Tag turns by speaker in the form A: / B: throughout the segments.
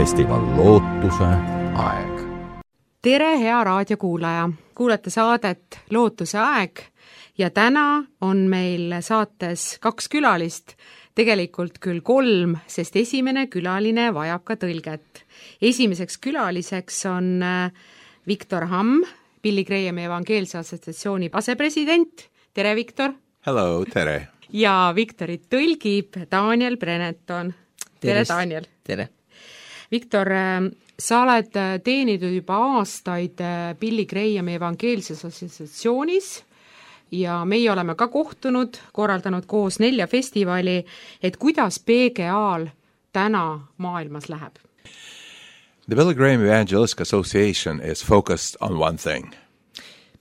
A: festival Lootuse aeg.
B: Tere, hea raadiokuulaja! Kuulete saadet Lootuse aeg ja täna on meil saates 2 külalist, tegelikult küll 3, sest esimene külaline vajab ka tõlget. Esimeseks külaliseks on Viktor Hamm, Billy Grahami evangeelse assotsiatsiooni asepresident. Tere, Viktor!
C: Hello, tere!
B: Ja Viktorit tõlgib Daniel Brenneton. Tere, Daniel!
D: Tere!
B: Viktor, sa oled teeninud juba aastaid Billy Grahami evangeelses assotsiatsioonis ja meie oleme ka kohtunud, korraldanud koos 4 festivali, et kuidas PGA-l täna maailmas läheb?
C: The Billy Graham Evangelistic Association is focused on one thing.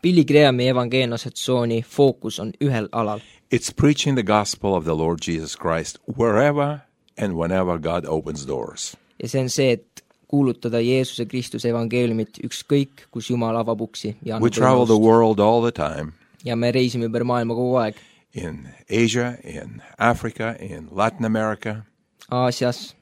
D: Billy Grahami evangeelne assotsiatsiooni fookus on ühel alal.
C: It's preaching the gospel of the Lord Jesus Christ wherever and whenever God opens doors.
D: Ja see on see, et kuulutada Jeesuse Kristuse evangeeliumit ükskõik, kus Jumal avab uksi.
C: We travel the world all the time.
D: Ja me reisime ümber maailma kogu aeg.
C: In Asia, in Africa, in Latin America.
D: Aasias,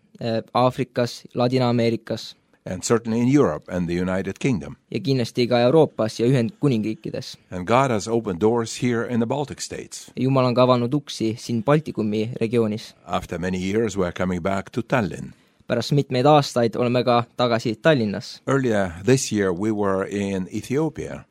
D: Aafrikas, Ladina-Ameerikas.
C: And certainly in Europe and the United Kingdom.
D: Ja kindlasti ka Euroopas ja Ühendkuningriikides.
C: And God has opened doors here in the Baltic states.
D: Ja Jumal on ka avanud uksi siin Baltikumi regioonis.
C: After many years we are coming back to Tallinn.
D: Pärast mitmeid aastaid oleme ka tagasi Tallinnas.
C: Earlier this year we were in Ethiopia.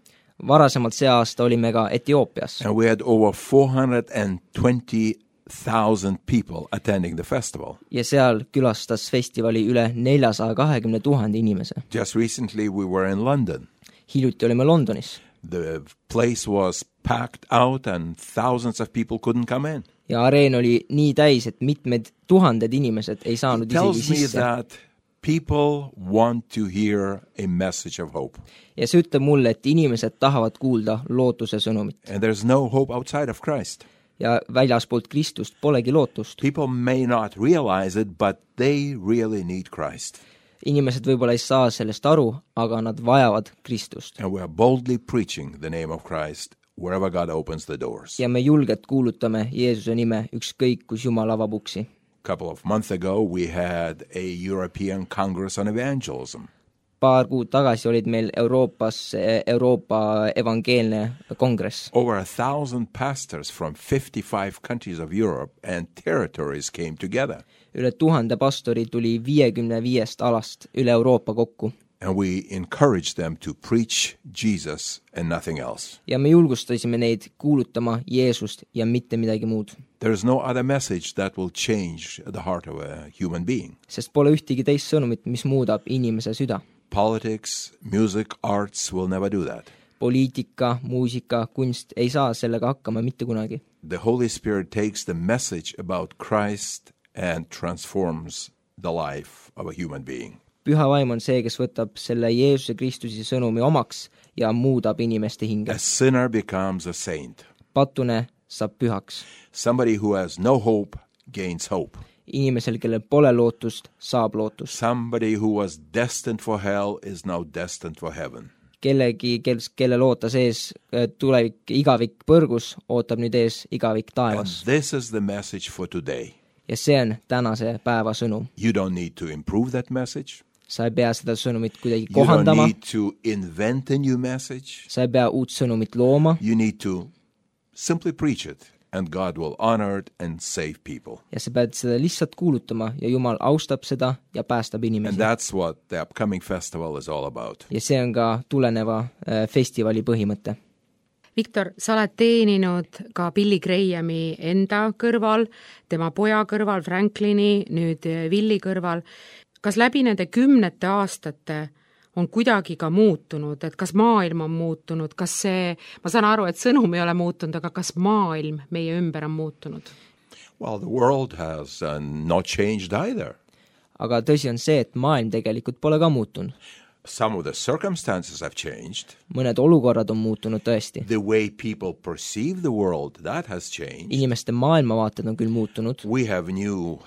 D: Varasemalt see aasta olime ka Etioopias.
C: And we had over 420,000 people attending the festival.
D: Ja seal külastas festivali üle 420 000 inimese.
C: Just recently we were in London.
D: Hiljuti olime Londonis.
C: The place was packed out and thousands of people couldn't come in.
D: Ja areen oli nii täis, et mitmed tuhanded inimesed ei saanud isegi sisse.
C: It tells me that people want to hear a message of hope.
D: Ja see ütleb mulle, et inimesed tahavad kuulda lootuse sõnumit.
C: And there's no hope outside of Christ.
D: Ja väljaspoolt Kristust polegi lootust.
C: People may not realize it, but they really need Christ.
D: Inimesed võib-olla ei saa sellest aru, aga nad vajavad Kristust.
C: And we are boldly preaching the name of Christ wherever God opens the doors.
D: Ja me julgelt kuulutame Jeesuse nime ükskõik, kus Jumal avab uksi.
C: A couple of months ago we had a European Congress on Evangelism.
D: Paar kuud tagasi olid meil Euroopas Euroopa evangeelne kongress.
C: Over 1,000 pastors from 55 countries of Europe and territories came together.
D: Üle 1000 pastori tuli 55 alast üle Euroopa kokku.
C: And we encouraged them to preach Jesus and nothing else.
D: Ja me julgustasime neid kuulutama Jeesust ja mitte midagi muud.
C: There is no other message that will change the heart of a human being.
D: Sest pole ühtegi teist sõnumit, mis muudab inimese süda.
C: Politics, music, arts will never do that.
D: Poliitika, muusika, kunst ei saa sellega hakkama mitte kunagi.
C: The Holy Spirit takes the message about Christ and transforms the life of a human being.
D: Püha vaim on see, kes võtab selle Jeesuse Kristuse sõnumi omaks ja muudab inimeste hinge.
C: A sinner becomes a saint.
D: Patune saab pühaks.
C: Somebody who has no hope gains hope.
D: Inimesel, kellel pole lootust, saab lootust.
C: Somebody who was destined for hell is now destined for heaven.
D: Kellegi, kelle ootas ees tulevik igavik põrgus, ootab nüüd ees igavik taevas.
C: And this is the message for today.
D: Ja see on tänase päeva sõnum.
C: You don't need to improve that message.
D: Sa ei pea seda sõnumit kuidagi
C: You don't
D: kohandama.
C: need to invent a new message.
D: Sa ei pea uut sõnumit looma.
C: You need to simply preach it and God will honor it and save people.
D: Ja sa pead seda lihtsalt kuulutama ja Jumal austab seda ja päästab inimesi.
C: And that's what the upcoming festival is all about.
D: Ja see on ka tuleneva festivali põhimõte.
B: Viktor, sa oled teeninud ka Billy Grahami enda kõrval, tema poja kõrval, Franklini, nüüd Willi kõrval. Kas läbi nende 10 aastate on kuidagi ka muutunud, et kas maailm on muutunud, kas see, ma saan aru, et sõnum ei ole muutunud, aga kas maailm meie ümber on muutunud?
C: Well, the world has not changed either.
D: Aga tõsi on see, et maailm tegelikult pole ka muutunud.
C: Some of the circumstances have changed.
D: Mõned olukorrad on muutunud tõesti.
C: The way people perceive the world, that has changed.
D: Inimeste maailmavaated on küll muutunud.
C: We have new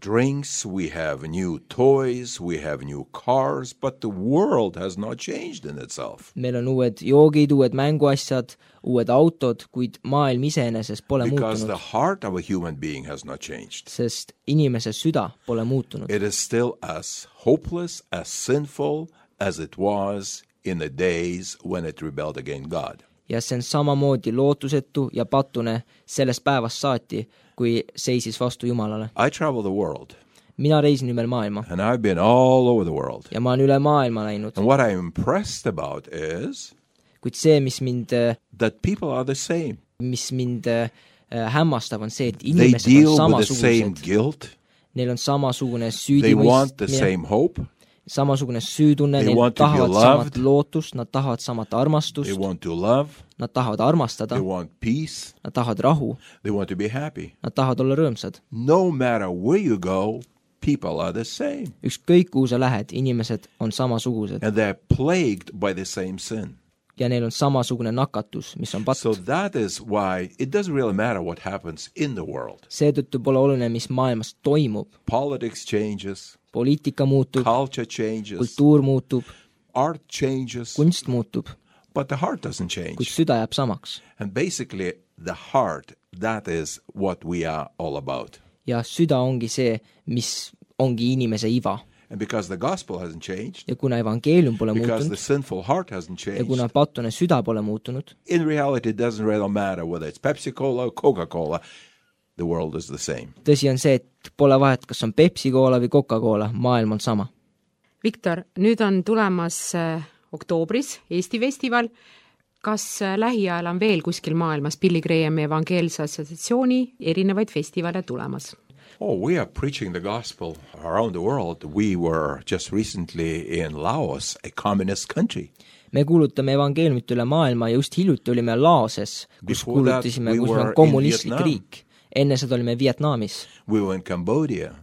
C: drinks, we have new toys, we have new cars, but the world has not changed in itself.
D: Meil on uued joogid, uued mänguasjad, uued autod, kuid maailm iseenesest pole
C: Because
D: muutunud.
C: the heart of a human being has not changed.
D: Sest inimese süda pole muutunud.
C: It is still as hopeless, as sinful as it was in the days when it rebelled against God.
D: ja see on samamoodi lootusetu ja patune sellest päevast saati, kui seisis vastu Jumalale.
C: I travel the world,
D: Mina reisin ümber maailma
C: and I've been all over the world.
D: ja ma olen üle maailma läinud,
C: And what I'm impressed about is
D: kuid see, mis mind
C: that people are the same.
D: hämmastab, on see, et
C: They
D: inimesed
C: deal
D: on
C: with the same
D: samasugused.
C: guilt.
D: Neil on samasugune
C: They want the
D: süüdimõistmine,
C: same hope.
D: samasugune süütunne,
C: They
D: neil
C: want to be
D: tahavad
C: loved.
D: samat lootust, nad tahavad samat
C: They
D: armastust,
C: want to love.
D: nad tahavad armastada,
C: They want peace.
D: nad tahavad rahu,
C: They want to be happy.
D: nad tahavad olla rõõmsad.
C: No matter where you go, people are the same.
D: Ükskõik kuhu sa lähed, inimesed on samasugused
C: And they're plagued by the same sin.
D: ja neil on samasugune nakatus, mis on patt.
C: So that is why it doesn't really matter what happens in the world.
D: Seetõttu pole oluline, mis maailmas toimub.
C: Politics changes,
D: Poliitika muutub,
C: culture changes,
D: kultuur muutub,
C: art changes,
D: kunst muutub,
C: but the heart doesn't
D: kuid
C: change.
D: süda jääb samaks.
C: And basically, the heart, that is what we are all about.
D: Ja süda ongi see, mis ongi inimese iva.
C: And because the gospel hasn't changed,
D: Ja kuna evangeelium pole
C: because the
D: muutunud
C: sinful heart hasn't
D: ja
C: changed,
D: kuna patune süda pole muutunud,
C: in reality, it doesn't really matter whether it's Pepsi-Cola or Coca-Cola. The world is the same.
D: tõsi on see, et pole vahet, kas on Pepsi-Cola või Coca-Cola, maailm on sama.
B: Viktor, nüüd on tulemas oktoobris Eesti festival. Kas lähiajal on veel kuskil maailmas Billy Grahami evangeelse assotsiatsiooni erinevaid festivale tulemas?
C: Oh, we are preaching the gospel around the world. We were just recently in Laos, a communist country.
D: Me kuulutame evangeeliumit üle maailma ja just hiljuti olime Laoses, kus
C: Before that,
D: kuulutasime,
C: we
D: kus
C: were
D: on
C: in
D: kommunistlik
C: Vietnam.
D: riik. Enne seda olime Vietnamis,
C: We were in Cambodia.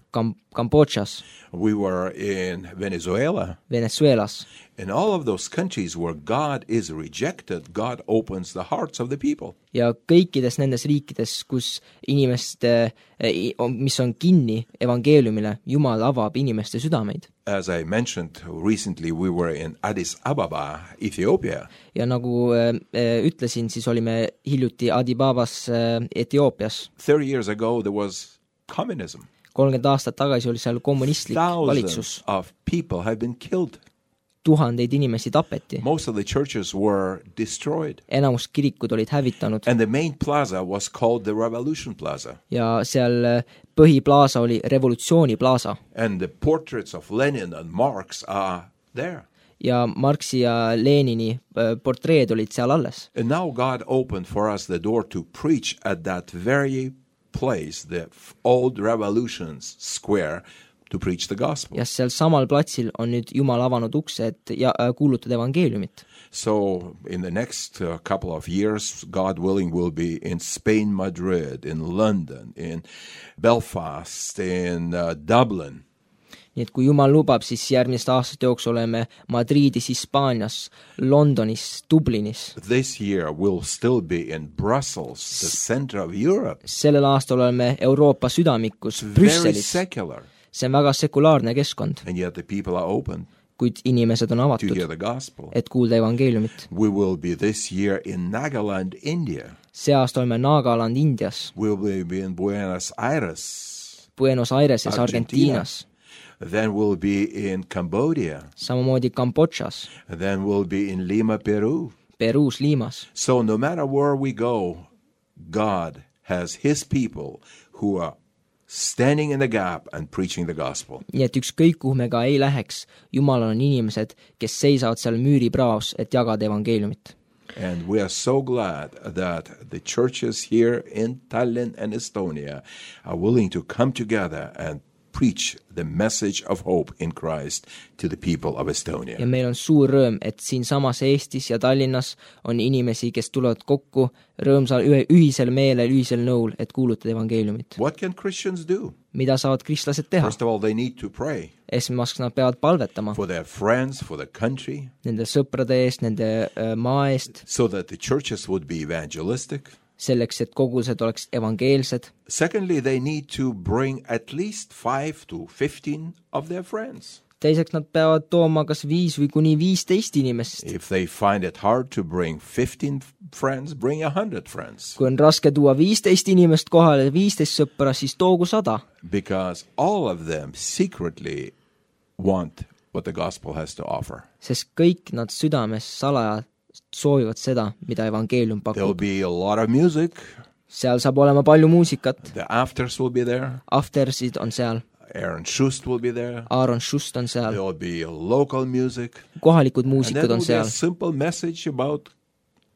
D: Kambodžas,
C: We were in Venezuela.
D: Venezuelas.
C: In all of those countries where God is rejected, God opens the hearts of the people.
D: Ja kõikides nendes riikides, kus inimeste, mis on kinni evangeeliumile, Jumal avab inimeste südameid.
C: As I mentioned recently, we were in Addis Ababa, Ethiopia.
D: Ja nagu ütlesin, siis olime hiljuti Adibabas Etioopias.
C: 30 years ago, there was communism.
D: 30 aastat tagasi oli seal kommunistlik valitsus.
C: Thousands of people have been killed.
D: Tuhandeid inimesi tapeti.
C: Most of the churches were destroyed.
D: Enamus kirikud olid hävitanud.
C: And the main plaza was called the Revolution Plaza.
D: Ja seal põhiplaasa oli Revolutsiooni plaasa.
C: And the portraits of Lenin and Marx are there.
D: Ja Marxi ja Lenini portreed olid seal alles.
C: And now God opened for us the door to preach at that very place, the old Revolutions Square, to preach the gospel.
D: Ja seal samal platsil on nüüd Jumal avanud ukse, et kuulutada evangeeliumit.
C: So in the next couple of years, God willing, we'll be in Spain, Madrid, in London, in Belfast, in Dublin.
D: Nii et kui Jumal lubab, siis järgmiste aastate jooksul oleme Madridis, Hispaanias, Londonis, Dublinis.
C: This year we'll still be in Brussels, the center of Europe.
D: Sellel aastal oleme Euroopa südamikus,
C: Very
D: Brüsselis.
C: secular.
D: See on väga sekulaarne keskkond,
C: And yet the people are open
D: kuid inimesed on
C: to hear
D: avatud,
C: the gospel.
D: et kuulda evangeeliumit.
C: We will be this year in Nagaland, India.
D: See aasta oleme Nagaland, Indias,
C: We will be in Buenos Aires.
D: Buenos Aireses,
C: Argentina.
D: Argentiinas,
C: Then we'll be in Cambodia.
D: samamoodi Kambodžas,
C: Then we'll be in Lima, Peru.
D: Peruus, Limas.
C: So no matter where we go, God has his people who are standing in the gap and preaching the gospel.
D: Nii et ükskõik kuhu me ka ei läheks, Jumalal on inimesed, kes seisavad seal müüripraos, et jagada evangeeliumit.
C: And we are so glad that the churches here in Tallinn and Estonia are willing to come together and preach the message of hope in Christ to the people of Estonia.
D: Ja meil on suur rõõm, et siin samas Eestis ja Tallinnas on inimesi, kes tulevad kokku rõõmsal ühisel meelel, ühisel nõul, et kuulutada evangeeliumit.
C: What can Christians do?
D: Mida saavad kristlased teha?
C: First of all, they need to pray
D: Esmaseks nad peavad palvetama
C: for their friends, for the country,
D: nende sõprade eest, nende maa eest,
C: so that the churches would be evangelistic.
D: selleks, et kogudused oleks evangeelsed.
C: Secondly, they need to bring at least 5 to 15 of their friends.
D: Teiseks nad peavad tooma kas 5 või kuni 15 inimest.
C: If they find it hard to bring 15 friends, bring 100 friends.
D: Kui on raske tuua 15 inimest kohale, 15 sõpra, siis toogu 100.
C: Because all of them secretly want what the gospel has to offer.
D: sest kõik nad südames salaja soovivad seda, mida evangeelium
C: There will
D: pakub.
C: be a lot of music.
D: Seal saab olema palju muusikat,
C: The afters will be there.
D: aftersid on seal,
C: Aaron Schust will be there.
D: Aaron Schust on seal,
C: There will be local music.
D: kohalikud
C: And then
D: muusikud
C: there
D: on
C: will be a
D: seal
C: simple message about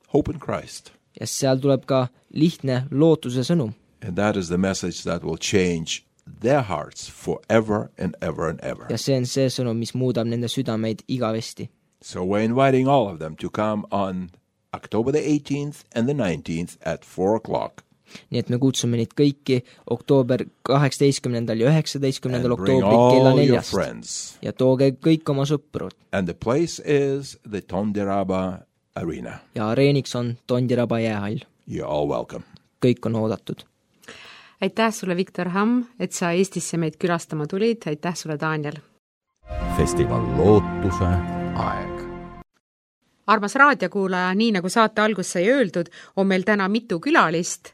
C: hope in Christ.
D: ja seal tuleb ka lihtne lootuse sõnum.
C: And that is the message that will change their hearts forever and ever and ever.
D: Ja see on see sõnum, mis muudab nende südameid igavesti.
C: So we're inviting all of them to come on October the 18th and the 19th at 4 o'clock.
D: Nii et me kutsume neid kõiki oktoober 18. ja 19.
C: And bring
D: oktoobril kella
C: all your
D: 4.
C: friends.
D: Ja tooge kõik oma sõprud.
C: And the place is the Tondiraba Arena.
D: Ja areeniks on Tondiraba jäähall.
C: You're all welcome.
D: Kõik on oodatud.
B: aitäh sulle, Viktor Hamm, et sa Eestisse meid külastama tulid, aitäh sulle, Daniel!
A: Festival lootuse aeg.
B: Armas raadiokuulaja, nii nagu saate algus sai öeldud, on meil täna mitu külalist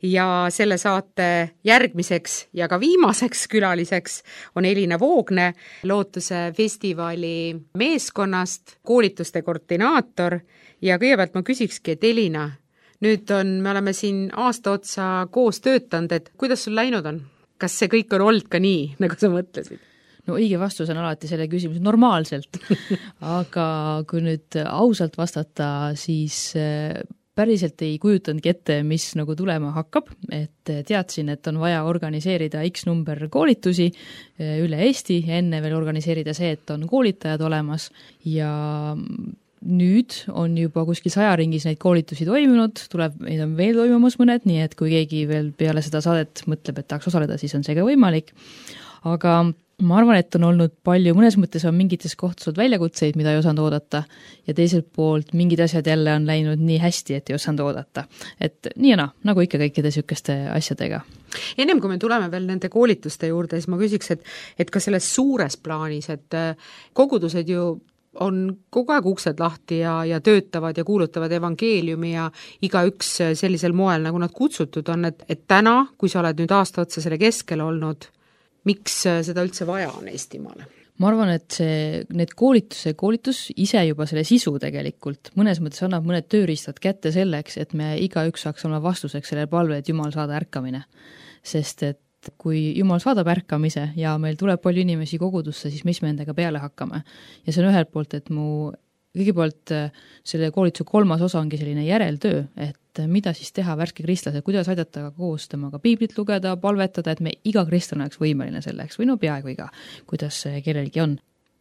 B: ja selle saate järgmiseks ja ka viimaseks külaliseks on Elina Voogne, Lootuse festivali meeskonnast, koolituste koordinaator ja kõigepealt ma küsikski, et Elina, me oleme siin aasta otsa koos töötanud, et kuidas sul läinud on? Kas see kõik on olnud ka nii, nagu sa mõtlesid?
E: No õige vastus on alati selle küsimus normaalselt, aga kui nüüd ausalt vastata, siis päriselt ei kujutanudki ette, mis nagu tulema hakkab, et teadsin, et on vaja organiseerida X number koolitusi üle Eesti, enne veel organiseerida see, et on koolitajad olemas ja nüüd on juba kuskil 100 ringis neid koolitusi toimunud, neid on veel toimumas mõned, nii et kui keegi veel peale seda saadet mõtleb, et tahaks osaleda, siis on see ka võimalik. Aga ma arvan, et on olnud palju, mõnes mõttes on mingites kohtades väljakutseid, mida ei osanud oodata ja teiselt poolt mingid asjad jälle on läinud nii hästi, et ei osanud oodata. Et nii ja nagu ikka kõikide sükeste asjadega.
B: Ennem kui me tuleme veel nende koolituste juurde, siis ma küsiks, et ka selles suures plaanis, et kogudused ju on kogu aeg uksed lahti ja töötavad ja kuulutavad evangeeliumi ja igaüks sellisel moel, nagu nad kutsutud on, et täna, kui sa oled nüüd aasta otsa selle keskel olnud, miks seda üldse vaja on Eestimaale?
E: Ma arvan, et need koolitus ise juba selle sisu tegelikult mõnes mõttes annab mõned tööriistad kätte selleks, et me igaüks saaks olla vastuseks selle palve, et Jumal saada ärkamine. Sest et kui Jumal saadab ärkamise ja meil tuleb palju inimesi kogudusse, siis mis me endaga peale hakkame. Ja see on ühelt poolt, et kõigepealt selle koolituse 3. osa ongi selline järeltöö, et mida siis teha värske kristlased, kuidas aidata koos temaga piiblit lugeda, palvetada, et me iga kristlane oleks võimeline selleks või peaaegu iga, kuidas kellelgi on.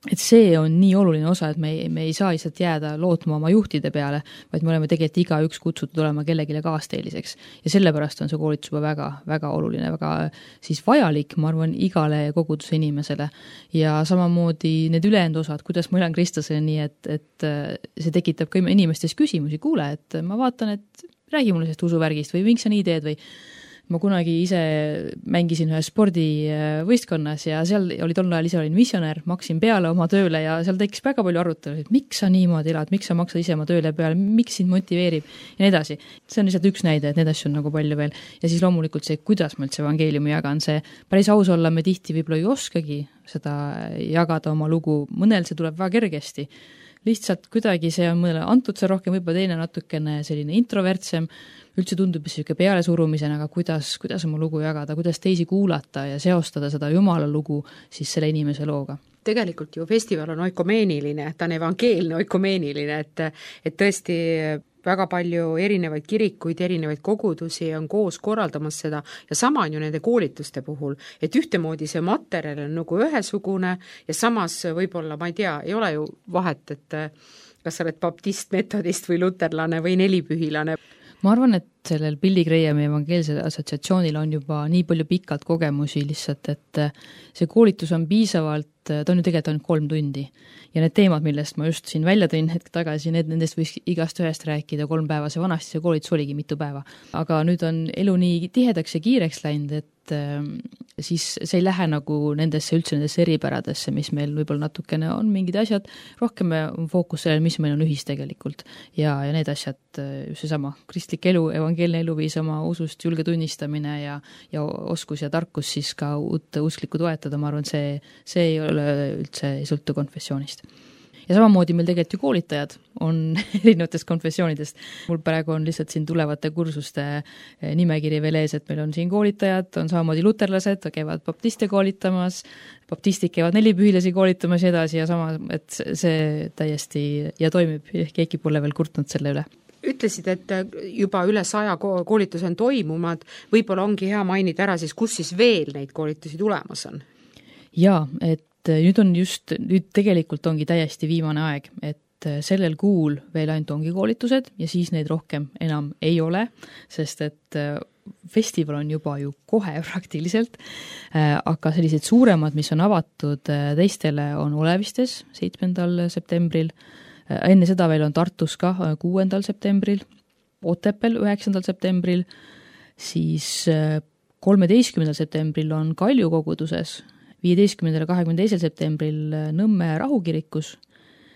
E: Et see on nii oluline osa, et me ei saa lihtsalt jääda lootma oma juhtide peale, vaid me oleme tegelikult igaüks kutsutud olema kellegile kaasteeliseks. Ja sellepärast on see koolitus juba väga, väga oluline, väga siis vajalik, ma arvan, igale koguduse inimesele. Ja samamoodi need ülejäänud osad, kuidas ma elan kristlasele nii, et see tekitab ka inimestes küsimusi. Kuule, et ma vaatan, et räägi mulle sellest usuvärgist või miks sa nii teed või ma kunagi ise mängisin ühe spordivõistkonnas ja seal oli tol ajal ise olin missionär, maksin peale oma tööle ja seal tekkis väga palju arutelu, et miks sa niimoodi elad, miks sa maksad ise oma tööle peale, miks sind motiveerib ja nii edasi. See on lihtsalt üks näide, et need asju on nagu palju veel. Ja siis loomulikult see, kuidas ma üldse evangeeliumi jagan, see päris aus olla, me tihti võib-olla ei oskagi seda jagada oma lugu, mõnel see tuleb väga kergesti. Lihtsalt kuidagi see on mõnele antud see rohkem, võib-olla teine natukene selline introvertsem, üldse tundub siuke pealesurumisena, aga kuidas oma lugu jagada, kuidas teisi kuulata ja seostada seda Jumala lugu siis selle inimese looga.
B: Tegelikult ju festival on oikomeeniline, ta on evangeelne oikomeeniline, et tõesti väga palju erinevaid kirikuid, erinevaid kogudusi on koos korraldamas seda ja sama on ju nende koolituste puhul, et ühtemoodi see materjal on nagu ühesugune ja samas võib-olla, ma ei tea, ei ole ju vahet, et kas sa oled baptist, metodist või luterlane või nelipühilane.
E: Ma arvan, et sellel Billy Grahami evangeelsel assotsiatsioonil on juba nii palju pikalt kogemusi lihtsalt, et see koolitus on piisavalt, ta on ju tegelikult ainult 3 tundi. Ja need teemad, millest ma just siin välja tõin hetk tagasi, nendest võiks igast ühest rääkida 3 päeva, see vanasti see koolitus oligi mitu päeva. Aga nüüd on elu nii tihedaks ja kiireks läinud, et siis see ei lähe nagu nendesse eripäradesse, mis meil võib-olla natukene on mingid asjad, rohkem on fookus sellel, mis meil on ühis tegelikult. Ja need asjad, just seesama kristlik elu, evangeelne eluviis, oma usust julge tunnistamine ja oskus ja tarkus siis ka uut usklikku toetada, ma arvan, see ei ole üldse, ei sõltu konfessioonist. Ja samamoodi meil tegelikult ju koolitajad on erinevatest konfessioonidest. Mul praegu on lihtsalt siin tulevate kursuste nimekiri veel ees, et meil on siin koolitajad, on samamoodi luterlased, käivad baptiste koolitamas, baptistid käivad nelipühilasi koolitamas ja edasi ja sama, et see täiesti ja toimib, keegi pole veel kurtnud selle üle.
B: Ütlesid, et juba üle 100 koolitus on toimumad, võib-olla ongi hea mainida ära siis, kus siis veel neid koolitusi tulemas on?
E: Jaa, et nüüd tegelikult ongi täiesti viimane aeg, et sellel kuul veel ainult ongi koolitused ja siis neid rohkem enam ei ole, sest et festival on juba ju kohe praktiliselt, aga sellised suuremad, mis on avatud teistele, on Olevistes 7. septembril, enne seda veel on Tartus ka 6. septembril, Otepel 9. septembril, siis 13. septembril on Kalju koguduses, 15. ja 22. septembril Nõmme rahukirikus,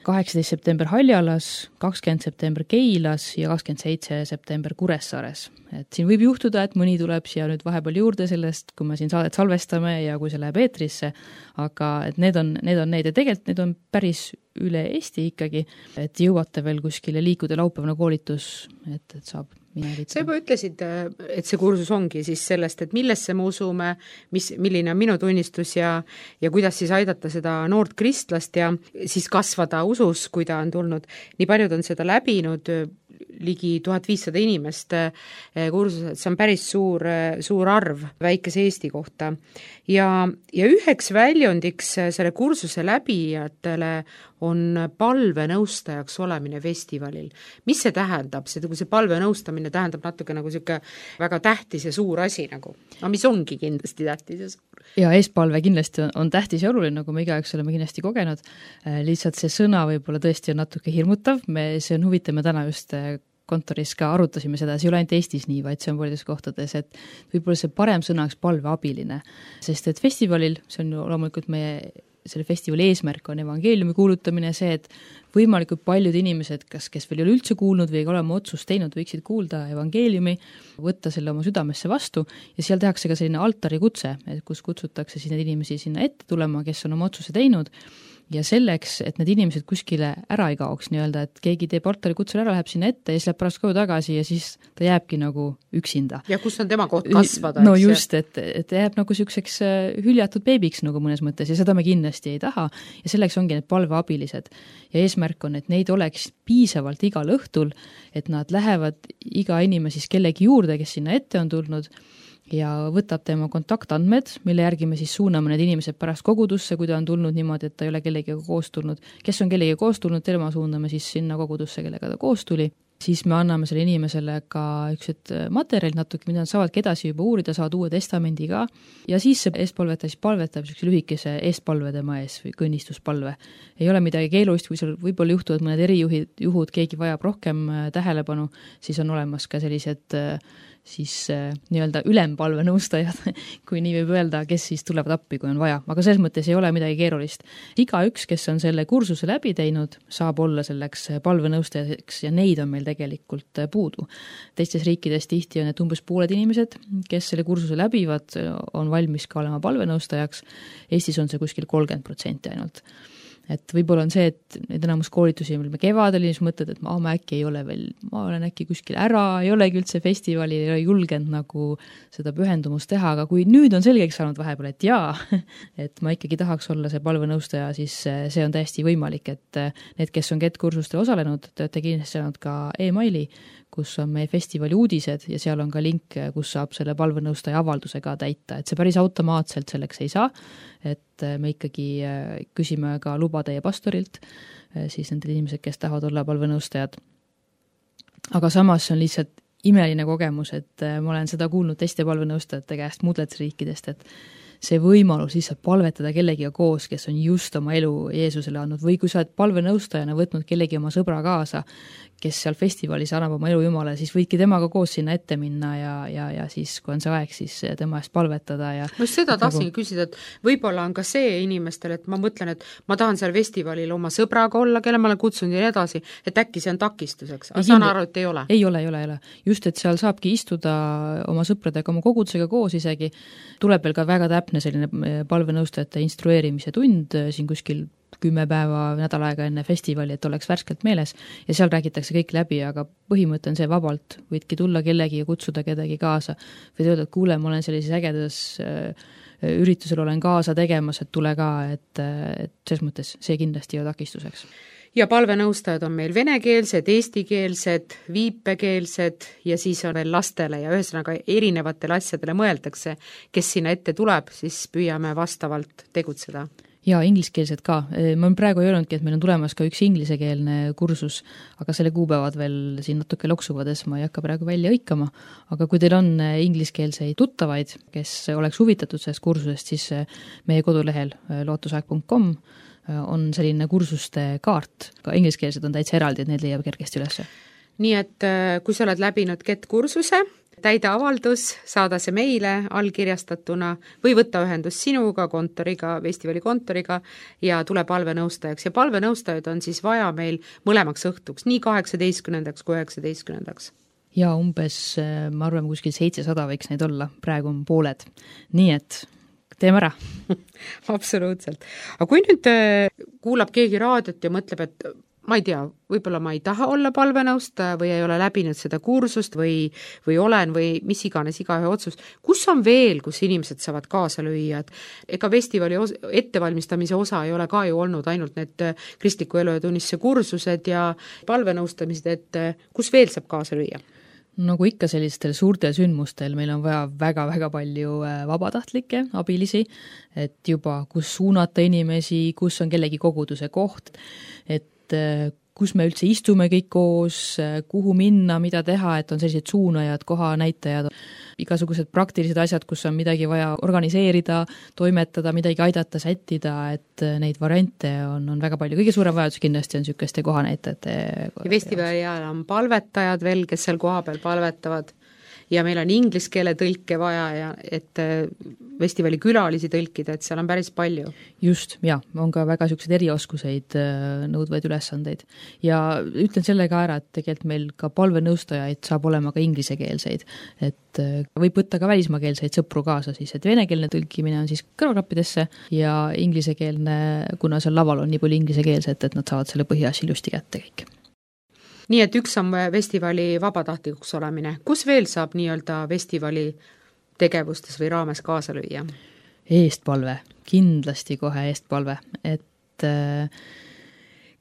E: 18. september Haljalas, 20. september Keilas ja 27. september Kuressaares. Et siin võib juhtuda, et mõni tuleb siia nüüd vahepeal juurde sellest, kui me siin saadet salvestame ja kui see läheb eetrisse, aga et need on ja tegelikult need on päris üle Eesti ikkagi, et jõuate veel kuskile liikuda laupäevane koolitus, et saab
B: sa juba ütlesid, et see kursus ongi siis sellest, et millesse me usume, milline on minu tunnistus ja kuidas siis aidata seda noort kristlast ja siis kasvada usus, kui ta on tulnud. Nii paljud on seda läbinud, ligi 1500 inimest kursused, see on päris suur arv väikese Eesti kohta. Ja üheks väljondiks selle kursuse läbijatele on palvenõustajaks olemine festivalil. Mis see tähendab? See palvenõustamine tähendab natuke nagu selline väga tähtis ja suur asi nagu. No mis ongi kindlasti tähtis ja suur?
E: Ja eespalve kindlasti on tähtis ja oluline, nagu me igaüks oleme kindlasti kogenud. Lihtsalt see sõna võib-olla tõesti on natuke hirmutav. See on huvitav, me täna just kontoris ka arutasime seda, see ei ole ainult Eestis nii, vaid see on paljudes kohtades, et võib-olla see parem sõnaks palveabiline, sest et festivalil, see on ju loomulikult selle festivali eesmärk on evangeeliumi kuulutamine, see, et võimalikult paljud inimesed, kes veel ei ole üldse kuulnud või ei ole oma otsust teinud, võiksid kuulda evangeeliumi, võtta selle oma südamesse vastu ja seal tehakse ka selline altari kutse, kus kutsutakse siis need inimesi sinna ette tulema, kes on oma otsuse teinud ja selleks, et need inimesed kuskile ära ei kaoks nii-öelda, et keegi teeb altari kutsel ära, läheb sinna ette ja siis läheb pärast koju tagasi ja siis ta jääbki nagu üksinda.
B: Ja kus on tema koht kasvada?
E: No just, et ta jääb nagu selliseks hüljatud beebiks nagu mõnes mõttes ja seda me kindlasti ei taha ja selleks ongi need palveabilised ja eesmärk on, et neid oleks piisavalt igal õhtul, et nad lähevad iga inimene siis kellegi juurde, kes sinna ette on tulnud ja võtab tema kontaktandmed, mille järgi me siis suuname need inimesed pärast kogudusse, kui ta on tulnud niimoodi, et ta ei ole kellegiga koos tulnud. Kes on kellegiga koos tulnud, tema suuname siis sinna kogudusse, kellega ta koos tuli. Siis me anname selle inimesele ka üksed materjalid natuke, mida nad saavadki edasi juba uurida, saavad uue testamendi ka. Ja siis see eestpalvetaja siis palvetab lühikese eestpalve tema ees või kõnnistuspalve. Ei ole midagi keelulist, kui seal võib-olla juhtuvad mõned erijuhud, keegi vajab rohkem tähelepanu, siis on olemas ka sellised siis nii-öelda ülempalve nõustajad, kui nii võib öelda, kes siis tulevad appi, kui on vaja. Aga selles mõttes ei ole midagi keerulist. Igaüks, kes on selle kursuse läbi teinud, saab olla selleks palvenõustajaks ja neid on meil tegelikult puudu. Teistes riikides tihti on need umbes pooled inimesed, kes selle kursuse läbivad, on valmis ka olema palvenõustajaks. Eestis on see kuskil 30% ainult. Et võib-olla on see, et need enamus koolitusi, mil me kevadel siis mõtled, et ma äkki ei ole veel, ma olen äkki kuskil ära, ei olegi üldse festivali, ei ole julgenud nagu seda pühendumust teha, aga kui nüüd on selgeks saanud vahepeal, et jaa, et ma ikkagi tahaks olla see palvenõustaja, siis see on täiesti võimalik, et need, kes on GET-kursustel osalenud, te olete kindlasti saanud ka e-maili, kus on meie festivali uudised ja seal on ka link, kus saab selle palvenõustaja avaldusega täita, et see päris automaatselt selleks ei saa, et me ikkagi küsime ka luba teie pastorilt, siis nendel inimesed, kes tahavad olla palvenõustajad. Aga samas on lihtsalt imeline kogemus, et ma olen seda kuulnud teiste palvenõustajate käest muudletes riikidest, et see võimalus lihtsalt palvetada kellegiga koos, kes on just oma elu Jeesusele andnud, või kui sa oled palvenõustajana võtnud kellegi oma sõbra kaasa, kes seal festivalis annab oma elu Jumalale, siis võidki temaga koos sinna ette minna ja siis, kui on see aeg, siis tema eest palvetada ja
B: no seda tahtsingi küsida, et võib-olla on ka see inimestel, et ma mõtlen, et ma tahan seal festivalil oma sõbraga olla, kelle ma olen kutsunud ja nii edasi, et äkki see on takistuseks, aga saan aru, et ei ole?
E: Ei ole. Just, et seal saabki istuda oma sõpradega, oma kogudusega koos isegi, tuleb veel ka väga täpne selline palvenõustajate instrueerimise tund siin kuskil 10 päeva nädal aega enne festivali, et oleks värskelt meeles ja seal räägitakse kõik läbi, aga põhimõte on see vabalt, võidki tulla kellegi ja kutsuda kedagi kaasa, võid öelda, et kuule, ma olen sellises ägedas üritusel olen kaasa tegemas, et tule ka, et selles mõttes see kindlasti ei ole takistuseks.
B: Ja palvenõustajad on meil venekeelsed, eestikeelsed, viipekeelsed ja siis on veel lastele ja ühesõnaga erinevatele asjadele mõeldakse, kes sinna ette tuleb, siis püüame vastavalt tegutseda.
E: Ja ingliskeelsed ka. Ma praegu ei öelnudki, et meil on tulemas ka üks inglisekeelne kursus, aga selle kuupäevad veel siin natuke loksuvades, ma ei hakka praegu välja õikama, aga kui teil on ingliskeelseid tuttavaid, kes oleks huvitatud sellest kursusest, siis meie kodulehel lootusaeg.com on selline kursuste kaart, ka ingliskeelsed on täitsa eraldi, et need leiab kergesti üles.
B: Nii et kui sa oled läbinud GET-kursuse, täida avaldus, saada see meile allkirjastatuna või võtta ühendust sinuga, kontoriga, festivali kontoriga ja tule palvenõustajaks. Ja palvenõustajaid on siis vaja meil mõlemaks õhtuks, nii 18. kui 19.
E: Ja umbes, ma arvan, kuskil 700 võiks neid olla, praegu on pooled. Nii et teeme ära.
B: Absoluutselt. Aga kui nüüd kuulab keegi raadiot ja mõtleb, et ma ei tea, võib-olla ma ei taha olla palvenõustaja või ei ole läbinud seda kursust või olen või mis iganes igaühe otsus. Kus on veel, kus inimesed saavad kaasa lüüa? Et ega festivali ettevalmistamise osa ei ole ka ju olnud ainult need kristliku elu ja tunnistuse kursused ja palvenõustamised, et kus veel saab kaasa lüüa?
E: Nagu ikka sellistel suurtel sündmustel meil on vaja väga-väga palju vabatahtlikke abilisi, et juba kus suunata inimesi, kus on kellegi koguduse koht, et kus me üldse istume kõik koos, kuhu minna, mida teha, et on sellised suunajad, kohanäitajad, igasugused praktilised asjad, kus on midagi vaja organiseerida, toimetada, midagi aidata, sättida, et neid variante on väga palju. Kõige suurem vajadus kindlasti on niisuguste kohanäitajate.
B: Ja festivali ajal on palvetajad veel, kes seal koha peal palvetavad ja meil on inglise keele tõlke vaja ja et festivali külalisi tõlkida, et seal on päris palju.
E: Just, ja, on ka väga niisuguseid erioskuseid nõudvaid ülesandeid. Ja ütlen selle ka ära, et tegelikult meil ka palvenõustajaid saab olema ka inglisekeelseid, et võib võtta ka välismaakeelseid sõpru kaasa siis, et venekeelne tõlkimine on siis kõrvaklappidesse ja inglisekeelne, kuna seal laval on nii palju inglisekeelset, et nad saavad selle põhiasja ilusti kätte kõik.
B: Nii et üks on festivali vabatahtlikuks olemine. Kus veel saab nii-öelda festivali tegevustes või raames kaasa lüüa?
E: Eestpalve, kindlasti kohe eestpalve, et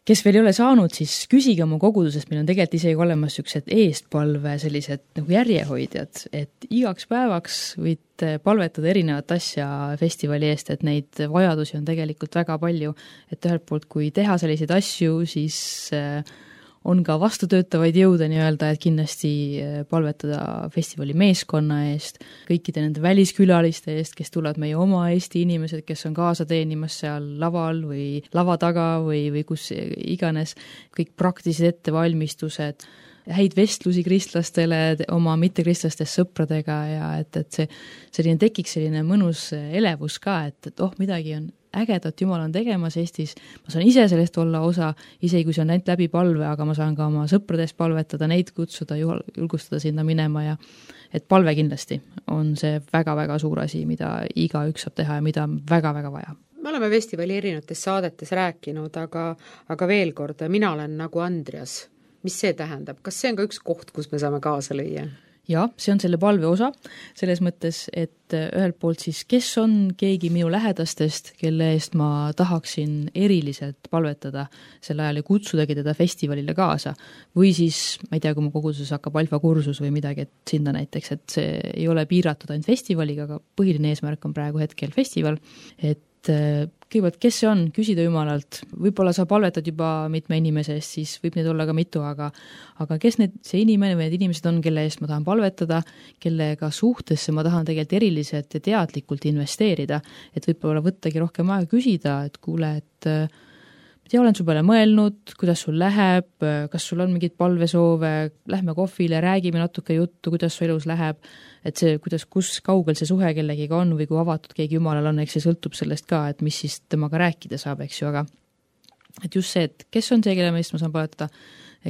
E: kes veel ei ole saanud, siis küsige oma kogudusest, meil on tegelikult isegi olemas niisugused eestpalve sellised nagu järjehoidjad, et igaks päevaks võid palvetada erinevat asja festivali eest, et neid vajadusi on tegelikult väga palju, et ühelt poolt, kui teha selliseid asju, siis on ka vastutöötavaid jõude nii-öelda, et kindlasti palvetada festivali meeskonna eest, kõikide nende väliskülaliste eest, kes tulevad meie oma Eesti inimesed, kes on kaasa teenimas seal laval või lava taga või kus iganes, kõik praktilised ettevalmistused, häid vestlusi kristlastele, oma mittekristlastest sõpradega ja et see selline tekiks selline mõnus elevus ka, et midagi on ägedat Jumal on tegemas Eestis, ma saan ise sellest olla osa, isegi kui see on ainult läbi palve, aga ma saan ka oma sõpradest palvetada, neid kutsuda, julgustada sinna minema ja et palve kindlasti on see väga-väga suur asi, mida igaüks saab teha ja mida on väga-väga vaja.
B: Me oleme festivali erinevates saadetes rääkinud, aga veel kord, mina olen nagu Andreas. Mis see tähendab? Kas see on ka üks koht, kus me saame kaasa lüüa?
E: Ja, see on selle palve osa, selles mõttes, et ühelt poolt siis, kes on keegi minu lähedastest, kelle eest ma tahaksin eriliselt palvetada sel ajal ja kutsudagi teda festivalile kaasa. Või siis, ma ei tea, kui mu koguduses hakkab alfakursus või midagi, et sinna näiteks, et see ei ole piiratud ainult festivaliga, aga põhiline eesmärk on praegu hetkel festival, et kõigepealt, kes see on, küsida Jumalalt, võib-olla sa palvetad juba mitme inimese eest, siis võib neid olla ka mitu, aga kes see inimene või need inimesed on, kelle eest ma tahan palvetada, kellega suhtesse ma tahan tegelikult eriliselt ja teadlikult investeerida, et võib-olla võttagi rohkem aega küsida, et kuule, et olen su peale mõelnud, kuidas sul läheb, kas sul on mingid palvesoove, lähme kohvile, räägime natuke juttu, kuidas su elus läheb, et see, kus kaugel see suhe kellegiga on või kui avatud keegi Jumalal on, eks see sõltub sellest ka, et mis siis temaga rääkida saab, eks ju, aga et just see, et kes on see, kelle meest ma saan palvetada,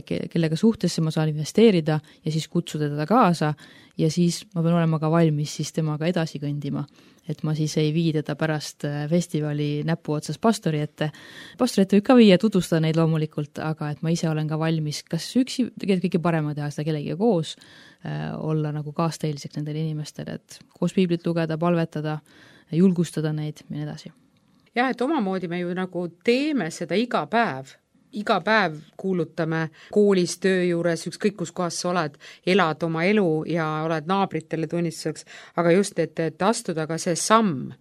E: kellega suhtesse ma saan investeerida ja siis kutsuda teda kaasa ja siis ma pean olema ka valmis siis temaga edasi kõndima. Et ma siis ei vii teda pärast festivali näpu otsas pastori ette. Pastori ette võib ka viia, tutvustada neid loomulikult, aga et ma ise olen ka valmis kas üksi, tegelikult kõige parema teha seda kellegiga koos, olla nagu kaasteeliseks nendele inimestele, et koos piiblit lugeda, palvetada, julgustada neid ja nii edasi.
B: Jah, et omamoodi me ju nagu teeme seda iga päev kuulutame koolis, töö juures, ükskõik kus kohas sa oled, elad oma elu ja oled naabritele tunnistuseks, aga just, et astuda ka see samm.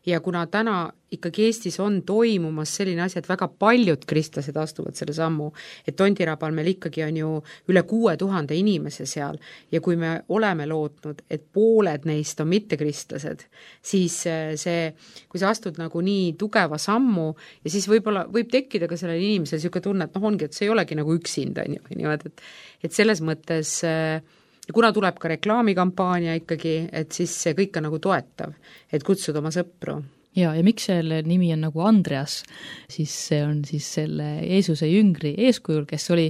B: Ja kuna täna ikkagi Eestis on toimumas selline asi, et väga paljud kristlased astuvad selle sammu, et Tondirabal meil ikkagi on ju üle 6000 inimese seal ja kui me oleme lootnud, et pooled neist on mittekristlased, siis kui sa astud nagu nii tugeva sammu ja siis võib tekkida ka sellele inimesele niisugune tunne, et ongi, et see ei olegi nagu üksinda, et selles mõttes ja kuna tuleb ka reklaamikampaania ikkagi, et siis see kõik on nagu toetav, et kutsuda oma sõpru.
E: Ja miks selle nimi on nagu Andreas, siis see on siis selle Jeesuse jüngri eeskujul, kes oli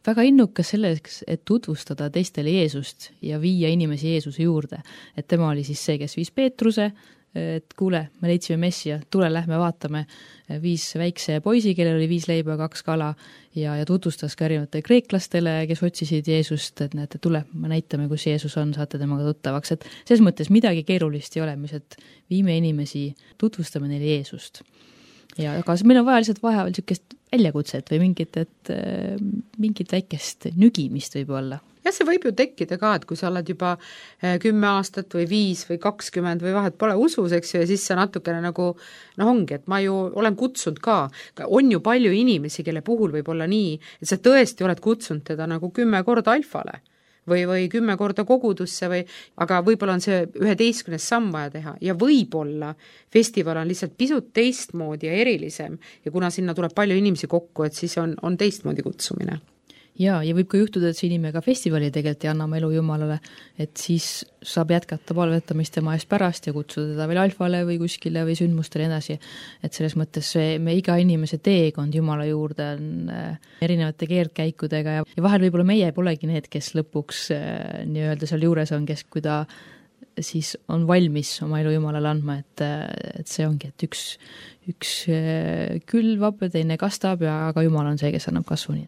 E: väga innukas selleks, et tutvustada teistele Jeesust ja viia inimesi Jeesuse juurde. Et tema oli siis see, kes viis Peetruse, et kuule, me leidsime Messia, tule, lähme vaatame, viis väikse poisi, kellel oli 5 leiba ja 2 kala ja tutvustas ka erinevate kreeklastele, kes otsisid Jeesust, et näete, tule, me näitame, kus Jeesus on, saate temaga tuttavaks, et selles mõttes midagi keerulist ei ole, mis, et viime inimesi, tutvustame neile Jeesust. Ja aga meil on vaja lihtsalt vaheval niisugust väljakutset või mingit väikest nügimist võib olla.
B: Ja see võib ju tekkida ka, et kui sa oled juba 10 aastat või 5 või 20 või vahet pole usus, eks ju, ja siis sa natukene nagu, ongi, et ma ju olen kutsunud ka, on ju palju inimesi, kelle puhul võib olla nii, et sa tõesti oled kutsunud teda nagu 10 korda alfale või 10 korda kogudusse aga võib-olla on see 11. samm vaja teha ja võib-olla festival on lihtsalt pisut teistmoodi ja erilisem ja kuna sinna tuleb palju inimesi kokku, et siis on teistmoodi kutsumine.
E: Ja võib ka juhtuda, et see inimene ka festivali tegelikult ei anna oma elu Jumalale, et siis saab jätkata palvetamist tema eest pärast ja kutsuda teda veel alfale või kuskile või sündmustele edasi. Et selles mõttes me iga inimese teekond Jumala juurde on erinevate keerdkäikudega ja vahel võib-olla meie polegi need, kes lõpuks nii-öelda seal juures on, kes kui ta siis on valmis oma elu Jumalale andma, et see ongi, et üks külvab ja teine kastab ja aga Jumal on see, kes annab kasvuni.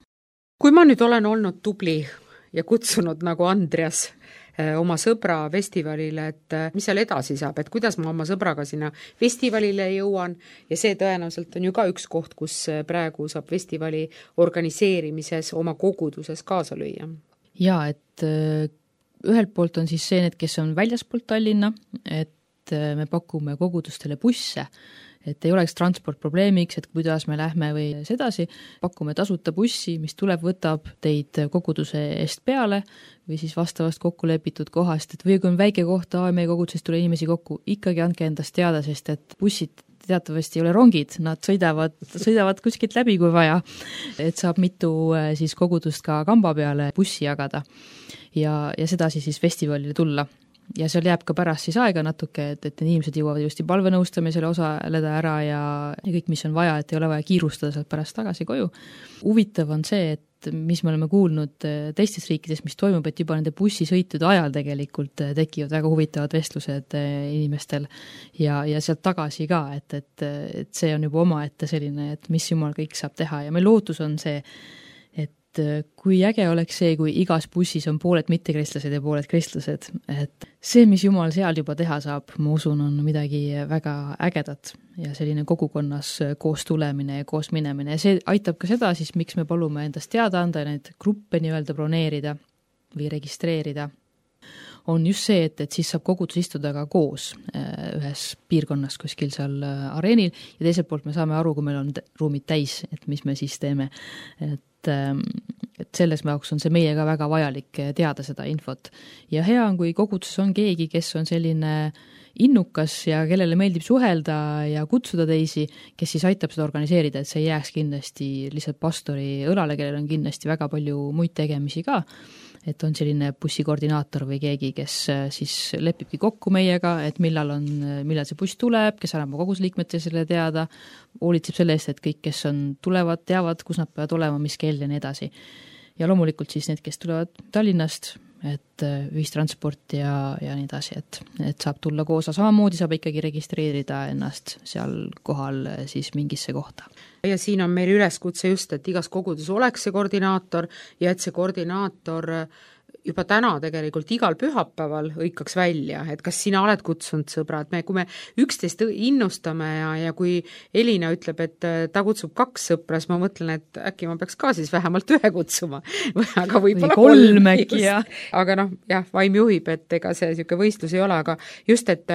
B: Kui ma nüüd olen olnud tubli ja kutsunud nagu Andreas oma sõbra festivalile, et mis seal edasi saab, et kuidas ma oma sõbraga sinna festivalile jõuan ja see tõenäoliselt on ju ka üks koht, kus praegu saab festivali organiseerimises oma koguduses kaasa lüüa.
E: Ja, et ühelt poolt on siis see, need, kes on väljaspoolt Tallinna, et me pakume kogudustele busse, et ei oleks transport probleemiks, et kuidas me lähme või sedasi, pakume tasuta bussi, mis tuleb, võtab teid koguduse eest peale või siis vastavast kokku lepitud kohast, et või kui on väike koht, meie kogudusest tule inimesi kokku, ikkagi andke endast teada, sest et bussid teatavasti ei ole rongid, nad sõidavad kuskilt läbi, kui vaja, et saab mitu siis kogudust ka kamba peale bussi jagada ja sedasi siis festivalile tulla. Ja seal jääb ka pärast siis aega natuke, et inimesed jõuavad just palvenõustamisele osaleda ära ja kõik, mis on vaja, et ei ole vaja kiirustada sealt pärast tagasi koju. Huvitav on see, et mis me oleme kuulnud teistes riikides, mis toimub, et juba nende bussisõitude ajal tegelikult tekivad väga huvitavad vestlused inimestel ja sealt tagasi ka, et see on juba omaette selline, et mis Jumal kõik saab teha ja meil lootus on see, kui äge oleks see, kui igas bussis on pooled mittekristlased ja pooled kristlased, et see, mis Jumal seal juba teha saab, ma usun, on midagi väga ägedat ja selline kogukonnas koos tulemine ja koos minemine ja see aitab ka seda siis, miks me palume endast teada anda ja neid gruppe nii-öelda broneerida või registreerida. on just see, et siis saab kogudus istuda ka koos ühes piirkonnas kuskil seal areenil ja teiselt poolt me saame aru, kui meil on ruumid täis, et mis me siis teeme. Et selles jaoks on see meie ka väga vajalik teada seda infot. Ja hea on, kui koguduses on keegi, kes on selline innukas ja kellele meeldib suhelda ja kutsuda teisi, kes siis aitab seda organiseerida, et see ei jääks kindlasti lihtsalt pastori õlale, kellel on kindlasti väga palju muid tegemisi ka, et on selline bussikoordinaator või keegi, kes siis lepibki kokku meiega, et millal see buss tuleb, kes annab kogusliikmetele selle teada, hoolitseb selle eest, et kõik, kes tulevad, teavad, kus nad peavad olema, mis kell ja nii edasi. Ja loomulikult siis need, kes tulevad Tallinnast, et ühistransport ja nii edasi, et saab tulla koos, samamoodi saab ikkagi registreerida ennast seal kohal siis mingisse kohta.
B: Ja siin on meil üleskutse just, et igas kogudus oleks see koordinaator ja et see koordinaator juba täna tegelikult igal pühapäeval hõikaks välja, et kas sina oled kutsunud sõbrad, kui me üksteist innustame ja kui Elina ütleb, et ta kutsub 2 sõpra, siis ma mõtlen, et äkki ma peaks ka siis vähemalt 1 kutsuma, aga võib-olla
E: 3 äkki, jah.
B: Aga vaim juhib, et ega see niisugune võistlus ei ole, aga just, et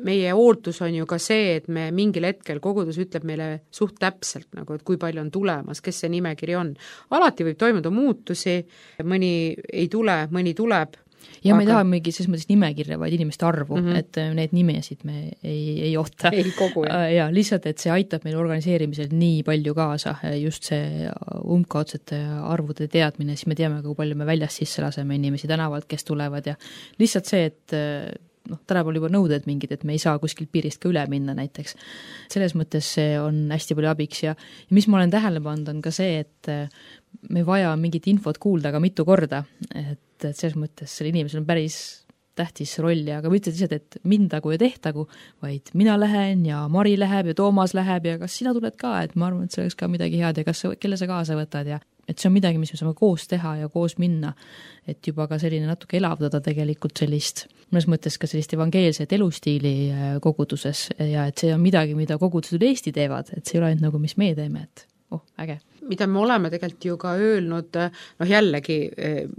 B: meie ootus on ju ka see, et me mingil hetkel kogudus ütleb meile suht täpselt, nagu, et kui palju on tulemas, kes see nimekiri on. Alati võib toimuda muutusi, mõni ei tule, mõni tuleb.
E: Ja me ei taha mingi selles mõttes nimekirja, vaid inimeste arvu, et need nimesid me ei oota.
B: Ei kogu,
E: ja lihtsalt, et see aitab meil organiseerimisel nii palju kaasa, just see umbkaudsete arvude teadmine, siis me teame, kui palju me väljast sisse laseme inimesi tänavalt, kes tulevad ja lihtsalt see, et tänapäeval juba nõuded mingid, et me ei saa kuskilt piirist ka üle minna näiteks. Selles mõttes see on hästi palju abiks ja mis ma olen tähele pannud on ka see, et me vaja mingit infot kuulda ka mitu korda, et selles mõttes selle inimesel on päris tähtis roll ja aga mitte lihtsalt, et mindagu ja tehtagu, vaid mina lähen ja Mari läheb ja Toomas läheb ja kas sina tuled ka, et ma arvan, et see oleks ka midagi head ja kelle sa kaasa võtad ja et see on midagi, mis me saame koos teha ja koos minna, et juba ka selline natuke elavdada tegelikult sellist, mõnes mõttes ka sellist evangeelset elustiili koguduses ja et see on midagi, mida kogudused üle Eesti teevad, et see ei ole ainult nagu, mis meie teeme, et äge.
B: Mida me oleme tegelikult ju ka öelnud, jällegi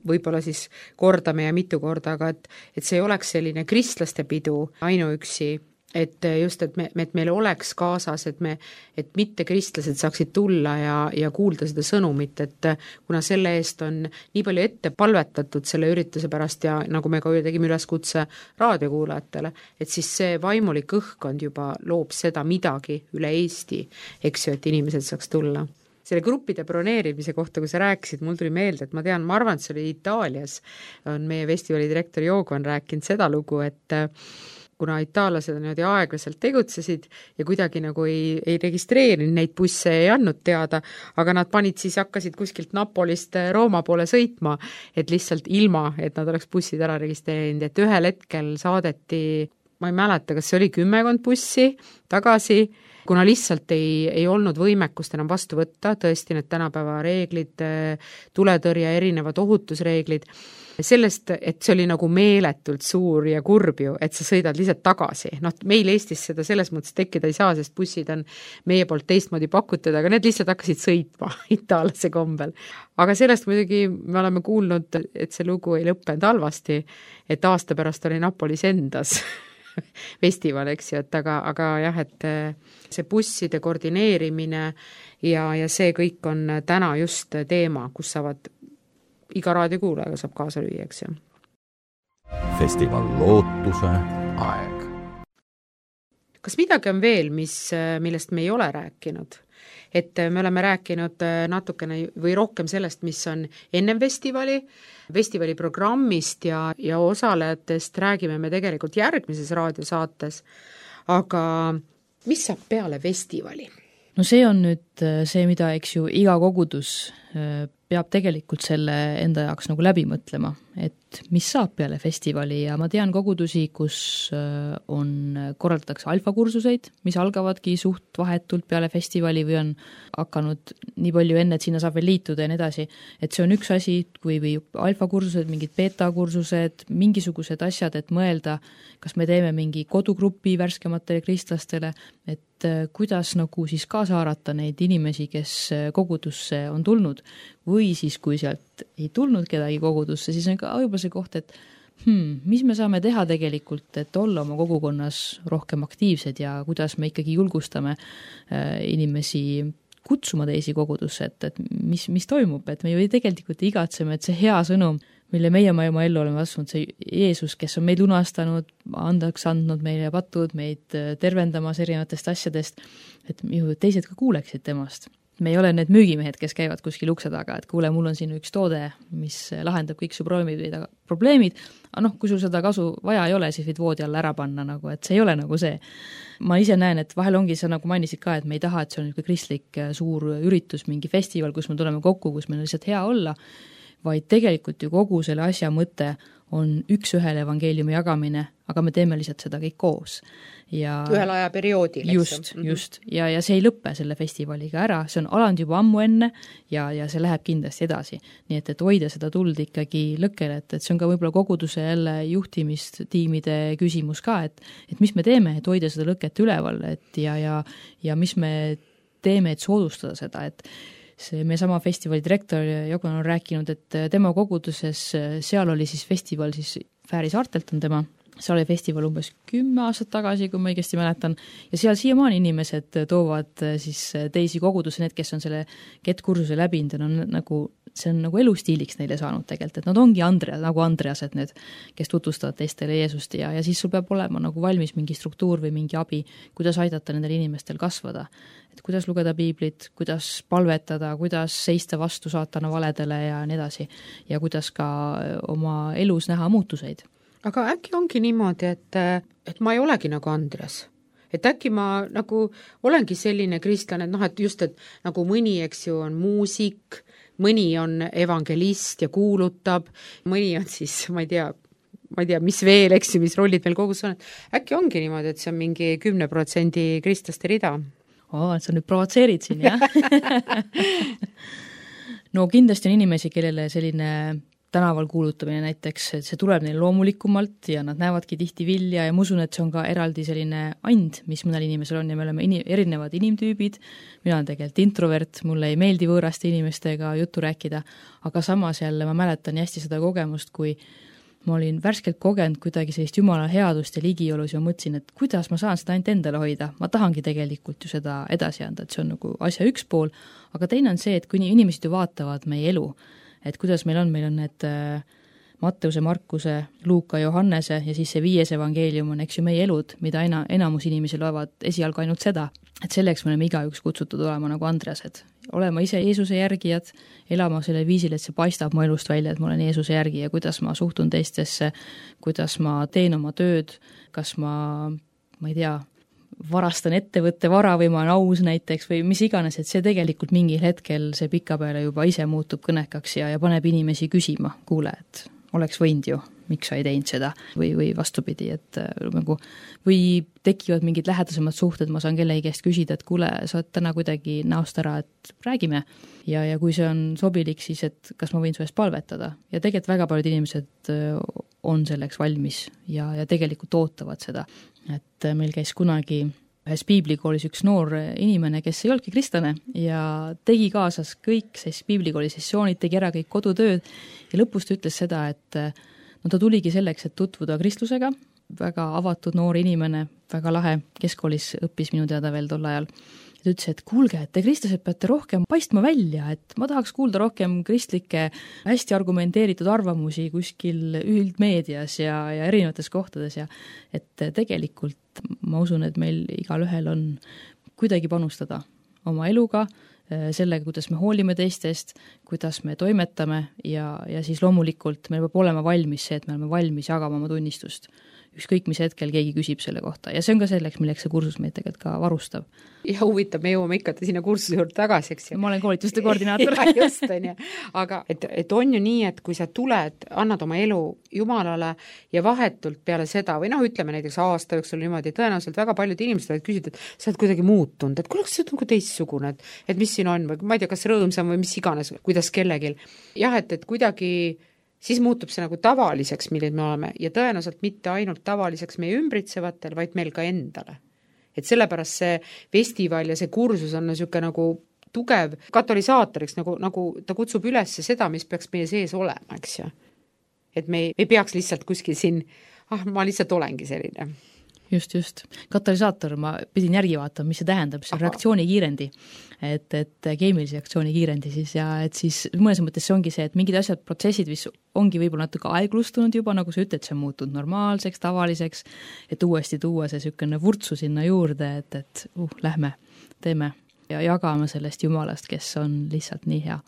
B: võib-olla siis kordame ja mitu korda, aga et see ei oleks selline kristlaste pidu ainuüksi, et just, et meil oleks kaasas, et mitte kristlased saaksid tulla ja kuulda seda sõnumit, et kuna selle eest on nii palju ette palvetatud selle ürituse pärast ja nagu me ka tegime üleskutse raadiokuulajatele, et siis see vaimulik õhkkond juba loob seda midagi üle Eesti, eks ju, et inimesed saaks tulla. Selle gruppide broneerimise kohta, kui sa rääkisid, mul tuli meelde, et ma arvan, et see oli Itaalias, on meie festivali direktor Joogo on rääkinud seda lugu, et kuna itaallased niimoodi aeglaselt tegutsesid ja kuidagi nagu ei registreerinud neid busse, ei andnud teada, aga nad hakkasid kuskilt Napolist Rooma poole sõitma, et lihtsalt ilma, et nad oleks bussid ära registreerinud, et ühel hetkel saadeti, ma ei mäleta, kas see oli 10 bussi tagasi, kuna lihtsalt ei olnud võimekust enam vastu võtta, tõesti need tänapäeva reeglid, tuletõrje, erinevad ohutusreeglid, sellest, et see oli nagu meeletult suur ja kurb ju, et sa sõidad lihtsalt tagasi. Meil Eestis seda selles mõttes tekkida ei saa, sest bussid on meie poolt teistmoodi pakutud, aga need lihtsalt hakkasid sõitma itaallase kombel. Aga sellest muidugi me oleme kuulnud, et see lugu ei lõppenud halvasti, et aasta pärast oli Napolis endas festival, eks ju, et aga jah, et see busside koordineerimine ja see kõik on täna just teema, kus saavad iga raadiokuulajaga saab kaasa lüüa, eks ju.
A: Festival Lootuse aeg.
B: Kas midagi on veel, millest me ei ole rääkinud? Et me oleme rääkinud natukene või rohkem sellest, mis on ennem festivali programmist ja osalejatest räägime me tegelikult järgmises raadiosaates, aga mis saab peale festivali?
E: No see on nüüd see, mida eks ju iga kogudus peab tegelikult selle enda jaoks nagu läbi mõtlema, et mis saab peale festivali ja ma tean kogudusi, kus korraldatakse alfakursuseid, mis algavadki suht vahetult peale festivali või on hakanud nii palju enne, et sinna saab veel liituda ja nii edasi, et see on üks asi, või alfakursused, mingid beta-kursused, mingisugused asjad, et mõelda, kas me teeme mingi kodugrupi värskematele kristlastele, et kuidas nagu siis kaasa haarata neid inimesi, kes kogudusse on tulnud või siis, kui sealt ei tulnud kedagi kogudusse, siis on ka võib-olla see koht, et Mis me saame teha tegelikult, et olla oma kogukonnas rohkem aktiivsed ja kuidas me ikkagi julgustame inimesi kutsuma teisi kogudusse, et mis toimub, et me ju tegelikult igatseme, et see hea sõnum, mille meie oma ellu oleme vastunud, see Jeesus, kes on meid lunastanud, andaks andnud meile patud, meid tervendamas erinevatest asjadest, et ju teised ka kuuleksid temast. Me ei ole need müügimehed, kes käivad kuskil ukse taga, et kuule, mul on siin üks toode, mis lahendab kõik su probleemid, aga kui sul seda kasu vaja ei ole, siis võid voodi alla ära panna, nagu, et see ei ole nagu see. Ma ise näen, et vahel ongi see, nagu mainisid ka, et me ei taha, et see on kristlik suur üritus, mingi festival, kus me tuleme kokku, kus meil on lihtsalt hea olla, vaid tegelikult ju kogu selle asja mõte on üks-ühele evangeeliumi jagamine, aga me teeme lihtsalt seda kõik koos. Ja
B: ühel ajaperioodil.
E: Just. Ja see ei lõppe selle festivaliga ära, see on alanud juba ammu enne ja see läheb kindlasti edasi. Nii et hoida seda tuld ikkagi lõkkele, et see on ka võib-olla koguduse jälle juhtimistiimide küsimus ka, et mis me teeme, et hoida seda lõket üleval, et ja mis me teeme, et soodustada seda, et see meie sama festivali direktor Jogan on rääkinud, et tema koguduses, seal oli siis festival, siis Fääri saartelt on tema, seal oli festival umbes 10 aastat tagasi, kui ma õigesti mäletan, ja seal siiamaani inimesed toovad siis teisi kogudusi, need, kes on selle GET-kursuse läbinud, see on nagu elustiiliks neile saanud tegelikult, et nad ongi nagu Andreased need, kes tutvustavad teistele Jeesust ja siis sul peab olema nagu valmis mingi struktuur või mingi abi, kuidas aidata nendel inimestel kasvada. Et kuidas lugeda piiblit, kuidas palvetada, kuidas seista vastu saatana valedele ja nii edasi ja kuidas ka oma elus näha muutuseid.
B: Aga äkki ongi niimoodi, et ma ei olegi nagu Andreas. Et äkki ma nagu olengi selline kristlane, et just, et nagu mõni, eks ju, on muusik, mõni on evangelist ja kuulutab, mõni on siis, ma ei tea, mis veel, eks ju, mis rollid meil kogus on. Äkki ongi niimoodi, et see on mingi 10% kristlaste rida.
E: Sa nüüd provotseerid siin, jah? No kindlasti on inimesi, kellele selline tänaval kuulutamine näiteks, see tuleb neil loomulikumalt ja nad näevadki tihti vilja ja ma usun, et see on ka eraldi selline and, mis mõnel inimesel on ja me oleme erinevad inimtüübid, mina olen tegelikult introvert, mulle ei meeldi võõraste inimestega juttu rääkida, aga samas jälle ma mäletan hästi seda kogemust, kui ma olin värskelt kogenud kuidagi sellist jumala headust ja ligiolus ja mõtlesin, et kuidas ma saan seda ainult endale hoida, ma tahangi tegelikult ju seda edasi anda, et see on nagu asja üks pool, aga teine on see, et kui inimesed ju vaatavad meie elu, et kuidas meil on need Matteuse, Markuse, Luuka, Johannese ja siis see 5. evangeelium on, eks ju, meie elud, mida enamus inimesi loevad esialgu ainult seda, et selleks me oleme igaüks kutsutud olema nagu Andreased, olema ise Jeesuse järgijad, elama selle viisil, et see paistab mu elust välja, et ma olen Jeesuse järgi ja kuidas ma suhtun teistesse, kuidas ma teen oma tööd, kas ma ei tea, varastan ettevõtte vara või ma olen aus näiteks või mis iganes, et see tegelikult mingil hetkel see pikapeale juba ise muutub kõnekaks ja paneb inimesi küsima, kuule, et oleks võinud ju, miks sa ei teinud seda või vastupidi, et nagu või tekivad mingid lähedasemad suhted, ma saan kellegi käest küsida, et kuule, sa oled täna kuidagi näost ära, et räägime ja kui see on sobilik, siis et kas ma võin su eest palvetada ja tegelikult väga paljud inimesed on selleks valmis ja tegelikult ootavad seda, et meil käis kunagi ühes piiblikoolis üks noor inimene, kes ei olnudki kristlane ja tegi kaasas kõik piiblikooli sessioonid, tegi ära kõik kodutööd ja lõpus ta ütles seda, et ta tuligi selleks, et tutvuda kristlusega, väga avatud noor inimene, väga lahe, keskkoolis õppis minu teada veel tol ajal. Ta ütles, et kuulge, et te kristlased peate rohkem paistma välja, et ma tahaks kuulda rohkem kristlikke hästi argumenteeritud arvamusi kuskil üldmeedias ja erinevates kohtades ja et tegelikult ma usun, et meil igalühel on kuidagi panustada oma eluga, sellega, kuidas me hoolime teistest, kuidas me toimetame ja siis loomulikult meil peab olema valmis see, et me oleme valmis jagama oma tunnistust. Ükskõik, mis hetkel keegi küsib selle kohta ja see on ka selleks, milleks see kursus meid tegelikult ka varustab.
B: Ja huvitab, me jõuame ikka sinna kursuse juurde tagasi, eks ju.
E: Ma olen koolituste koordinaator.
B: Ja, just on ju. Aga et on ju nii, et kui sa tuled, annad oma elu Jumalale ja vahetult peale seda või ütleme näiteks aasta jooksul niimoodi, tõenäoliselt väga paljud inimesed võivad küsida, et sa oled kuidagi muutunud, et kuule, kas see on nagu teistsugune, et mis siin on või ma ei tea, kas rõõmsam või mis iganes, kuidas kellegil. Jah, et kuidagi siis muutub see nagu tavaliseks, millid me oleme ja tõenäoliselt mitte ainult tavaliseks meie ümbritsevatel, vaid meil ka endale. Et sellepärast see festival ja see kursus on niisugune nagu tugev katalüsaatoriks, nagu ta kutsub üles seda, mis peaks meie sees olema, eks ju. et me ei peaks lihtsalt kuskil siin, ma lihtsalt olengi selline.
E: Just. Katalüsaator, ma pidin järgi vaatama, mis see tähendab, see on reaktsioonikiirendi, et keemilise reaktsioonikiirendi siis ja et siis mõnes mõttes see ongi see, et mingid asjad, protsessid, mis ongi võib-olla natuke aeglustunud juba, nagu sa ütled, see on muutunud normaalseks, tavaliseks, et uuesti tuua see sükene vurtsu sinna juurde, et lähme, teeme ja jagame sellest Jumalast, kes on lihtsalt nii hea.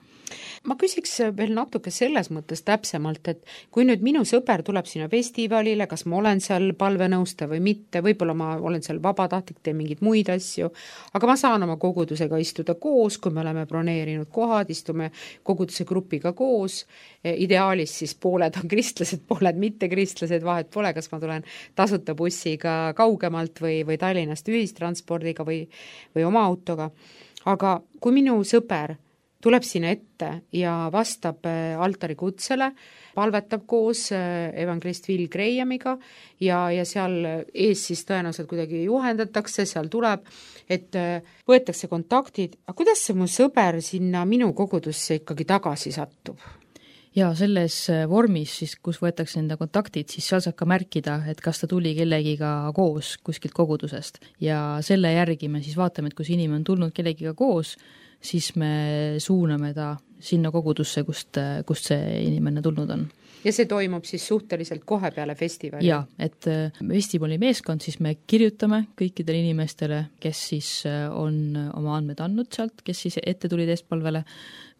B: Ma küsiks veel natuke selles mõttes täpsemalt, et kui nüüd minu sõber tuleb sinna festivalile, kas ma olen seal palvenõustaja või mitte, võib-olla ma olen seal vabatahtlik, teen mingeid muid asju, aga ma saan oma kogudusega istuda koos, kui me oleme broneerinud kohad, istume koguduse grupiga koos, ideaalis siis pooled on kristlased, pooled mitte kristlased, vahet pole, kas ma tulen tasuta bussiga kaugemalt või Tallinnast ühistranspordiga või oma autoga, aga kui minu sõber tuleb sinna ette ja vastab altari kutsele, palvetab koos evangelist Will Grahamiga ja seal ees siis tõenäoliselt kuidagi juhendatakse, seal tuleb, et võetakse kontaktid, aga kuidas see mu sõber sinna minu kogudusse ikkagi tagasi satub?
E: Ja selles vormis, siis, kus võetakse enda kontaktid, siis seal saab ka märkida, et kas ta tuli kellegiga koos kuskilt kogudusest ja selle järgi me siis vaatame, et kui see inimene on tulnud kellegiga koos, siis me suuname ta sinna kogudusse, kust see inimene tulnud on.
B: Ja see toimub siis suhteliselt kohe peale festivali?
E: Jaa, et festivali meeskond siis me kirjutame kõikidele inimestele, kes siis on oma andmed andnud sealt, kes siis ette tulid eestpalvele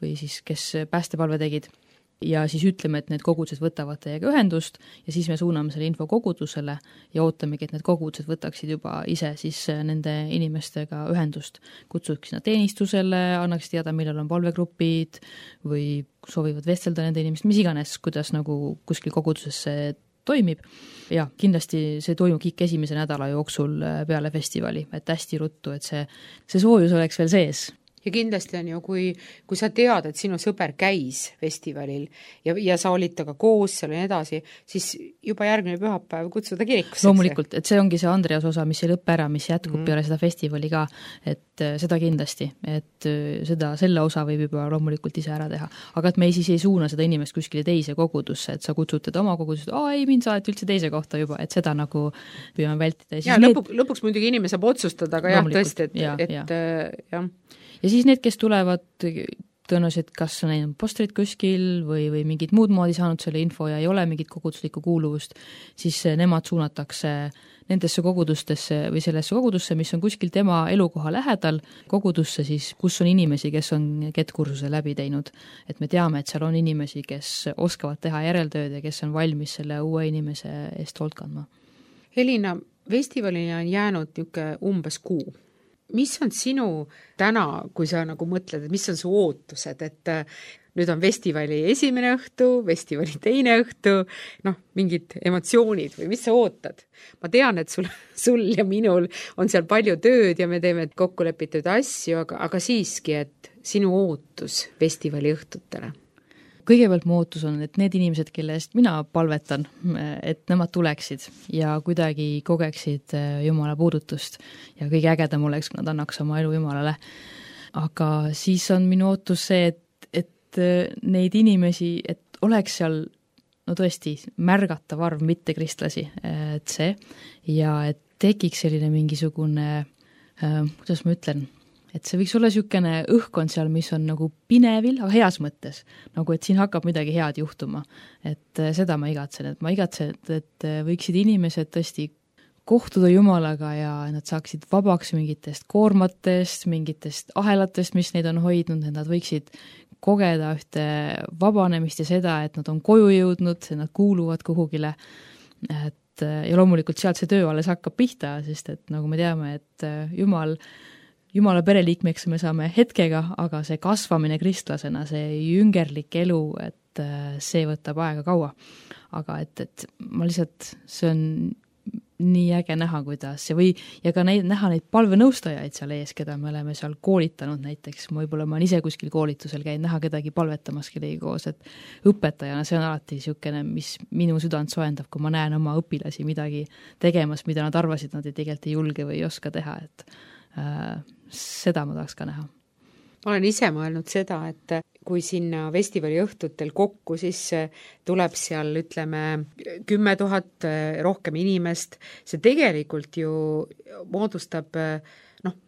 E: või siis kes päästepalve tegid. Ja siis ütleme, et need kogudused võtavad teiega ühendust ja siis me suuname selle info kogudusele ja ootamegi, et need kogudused võtaksid juba ise siis nende inimestega ühendust. Kutsuks sinna teenistusele, annaks teada, millal on palvegrupid või soovivad vestelda nende inimest, mis iganes, kuidas nagu kuskil koguduses see toimib. Ja kindlasti see toimub kõik esimese nädala jooksul peale festivali, et hästi ruttu, et see soojus oleks veel sees.
B: Ja kindlasti on ju, kui sa tead, et sinu sõber käis festivalil ja sa olid taga koos seal ja edasi, siis juba järgmine pühapäev kutsuda kirikusse.
E: Loomulikult, et see ongi see Andreas osa, mis ei lõppe ära, mis jätkub peale seda festivali ka, et seda kindlasti, et selle osa võib juba loomulikult ise ära teha. Aga et me siis ei suuna seda inimest kuskile teise kogudusse, et sa kutsutad oma kogudust, ei, mind saad üldse teise kohta juba, et seda nagu püüame vältida.
B: Ja lõpuks muidugi inimene saab otsustada, aga jah, tõesti, et jah.
E: Ja siis need, kes tulevad tõenäoliselt, kas on postrid kuskil või mingid muud moodi saanud selle info ja ei ole mingit koguduslikku kuuluvust, siis nemad suunatakse nendesse kogudustesse või sellesse kogudusse, mis on kuskil tema elukoha lähedal, kogudusse siis, kus on inimesi, kes on GET-kursuse läbi teinud. Et me teame, et seal on inimesi, kes oskavad teha järeltööd ja kes on valmis selle uue inimese eest hoolt kandma.
B: Helina, festivalini on jäänud niisugune umbes kuu. Mis on sinu täna, kui sa nagu mõtled, et mis on su ootused, et nüüd on festivali esimene õhtu, festivali teine õhtu, mingid emotsioonid või mis sa ootad? Ma tean, et sul ja minul on seal palju tööd ja me teeme kokkulepitud asju, aga siiski, et sinu ootus festivali õhtutele?
E: Kõigepealt mu ootus on, et need inimesed, kelle eest mina palvetan, et nemad tuleksid ja kuidagi kogeksid Jumala puudutust ja kõige ägedam oleks, kui nad annaks oma elu Jumalale. Aga siis on minu ootus see, et neid inimesi, et oleks seal tõesti märgatav arv mitte kristlasi, et see ja et tekiks selline mingisugune, kuidas ma ütlen, et see võiks olla niisugune õhkkond seal, mis on nagu pinevil, aga heas mõttes, nagu et siin hakkab midagi head juhtuma. Et seda ma igatsen, et võiksid inimesed tõesti kohtuda Jumalaga ja nad saaksid vabaks mingitest koormatest, mingitest ahelatest, mis neid on hoidnud, et nad võiksid kogeda ühte vabanemist ja seda, et nad on koju jõudnud, nad kuuluvad kuhugile, ja loomulikult sealt see töö alles hakkab pihta, sest et nagu me teame, et Jumala pereliikmeks me saame hetkega, aga see kasvamine kristlasena, see jüngerlik elu, et see võtab aega kaua. Aga et ma lihtsalt, see on nii äge näha, kuidas ja ka näha neid palvenõustajaid seal ees, keda me oleme seal koolitanud näiteks, võib-olla ma olen ise kuskil koolitusel käinud, näha kedagi palvetamas kellegi koos, et õpetajana see on alati niisugune, mis minu südant soendab, kui ma näen oma õpilasi midagi tegemas, mida nad arvasid, nad tegelikult ei julge või ei oska teha, et seda ma tahaks ka näha.
B: ma olen ise mõelnud seda, et kui sinna festivali õhtutel kokku, siis tuleb seal, ütleme, 10 000 rohkem inimest, see tegelikult ju moodustab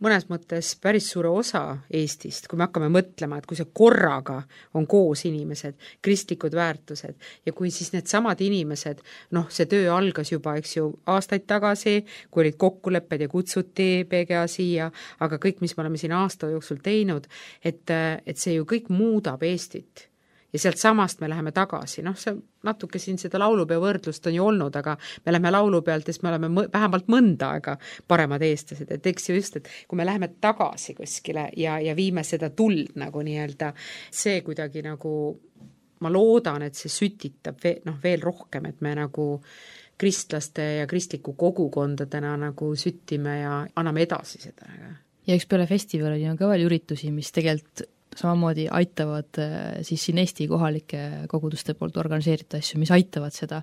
B: mõnes mõttes päris suure osa Eestist, kui me hakkame mõtlema, et kui see korraga on koos inimesed, kristlikud väärtused ja kui siis need samad inimesed, see töö algas juba, eks ju, aastaid tagasi, kui olid kokkulepped ja kutsuti PGA siia, aga kõik, mis me oleme siin aasta jooksul teinud, et see ju kõik muudab Eestit. Ja sealt samast me läheme tagasi, see natuke siin seda laulupeo võrdlust on ju olnud, aga me läheme laulupealt, siis me oleme vähemalt mõnda aega paremad eestlased, et eks ju just, et kui me läheme tagasi kuskile ja viime seda tuld nagu nii-öelda, see kuidagi nagu, ma loodan, et see sütitab veel rohkem, et me nagu kristlaste ja kristliku kogukondadena nagu süttime ja anname edasi seda.
E: Ja üks peale festivali on ka veel üritusi, mis tegelikult samamoodi aitavad siis siin Eesti kohalike koguduste poolt organiseeritud asju, mis aitavad seda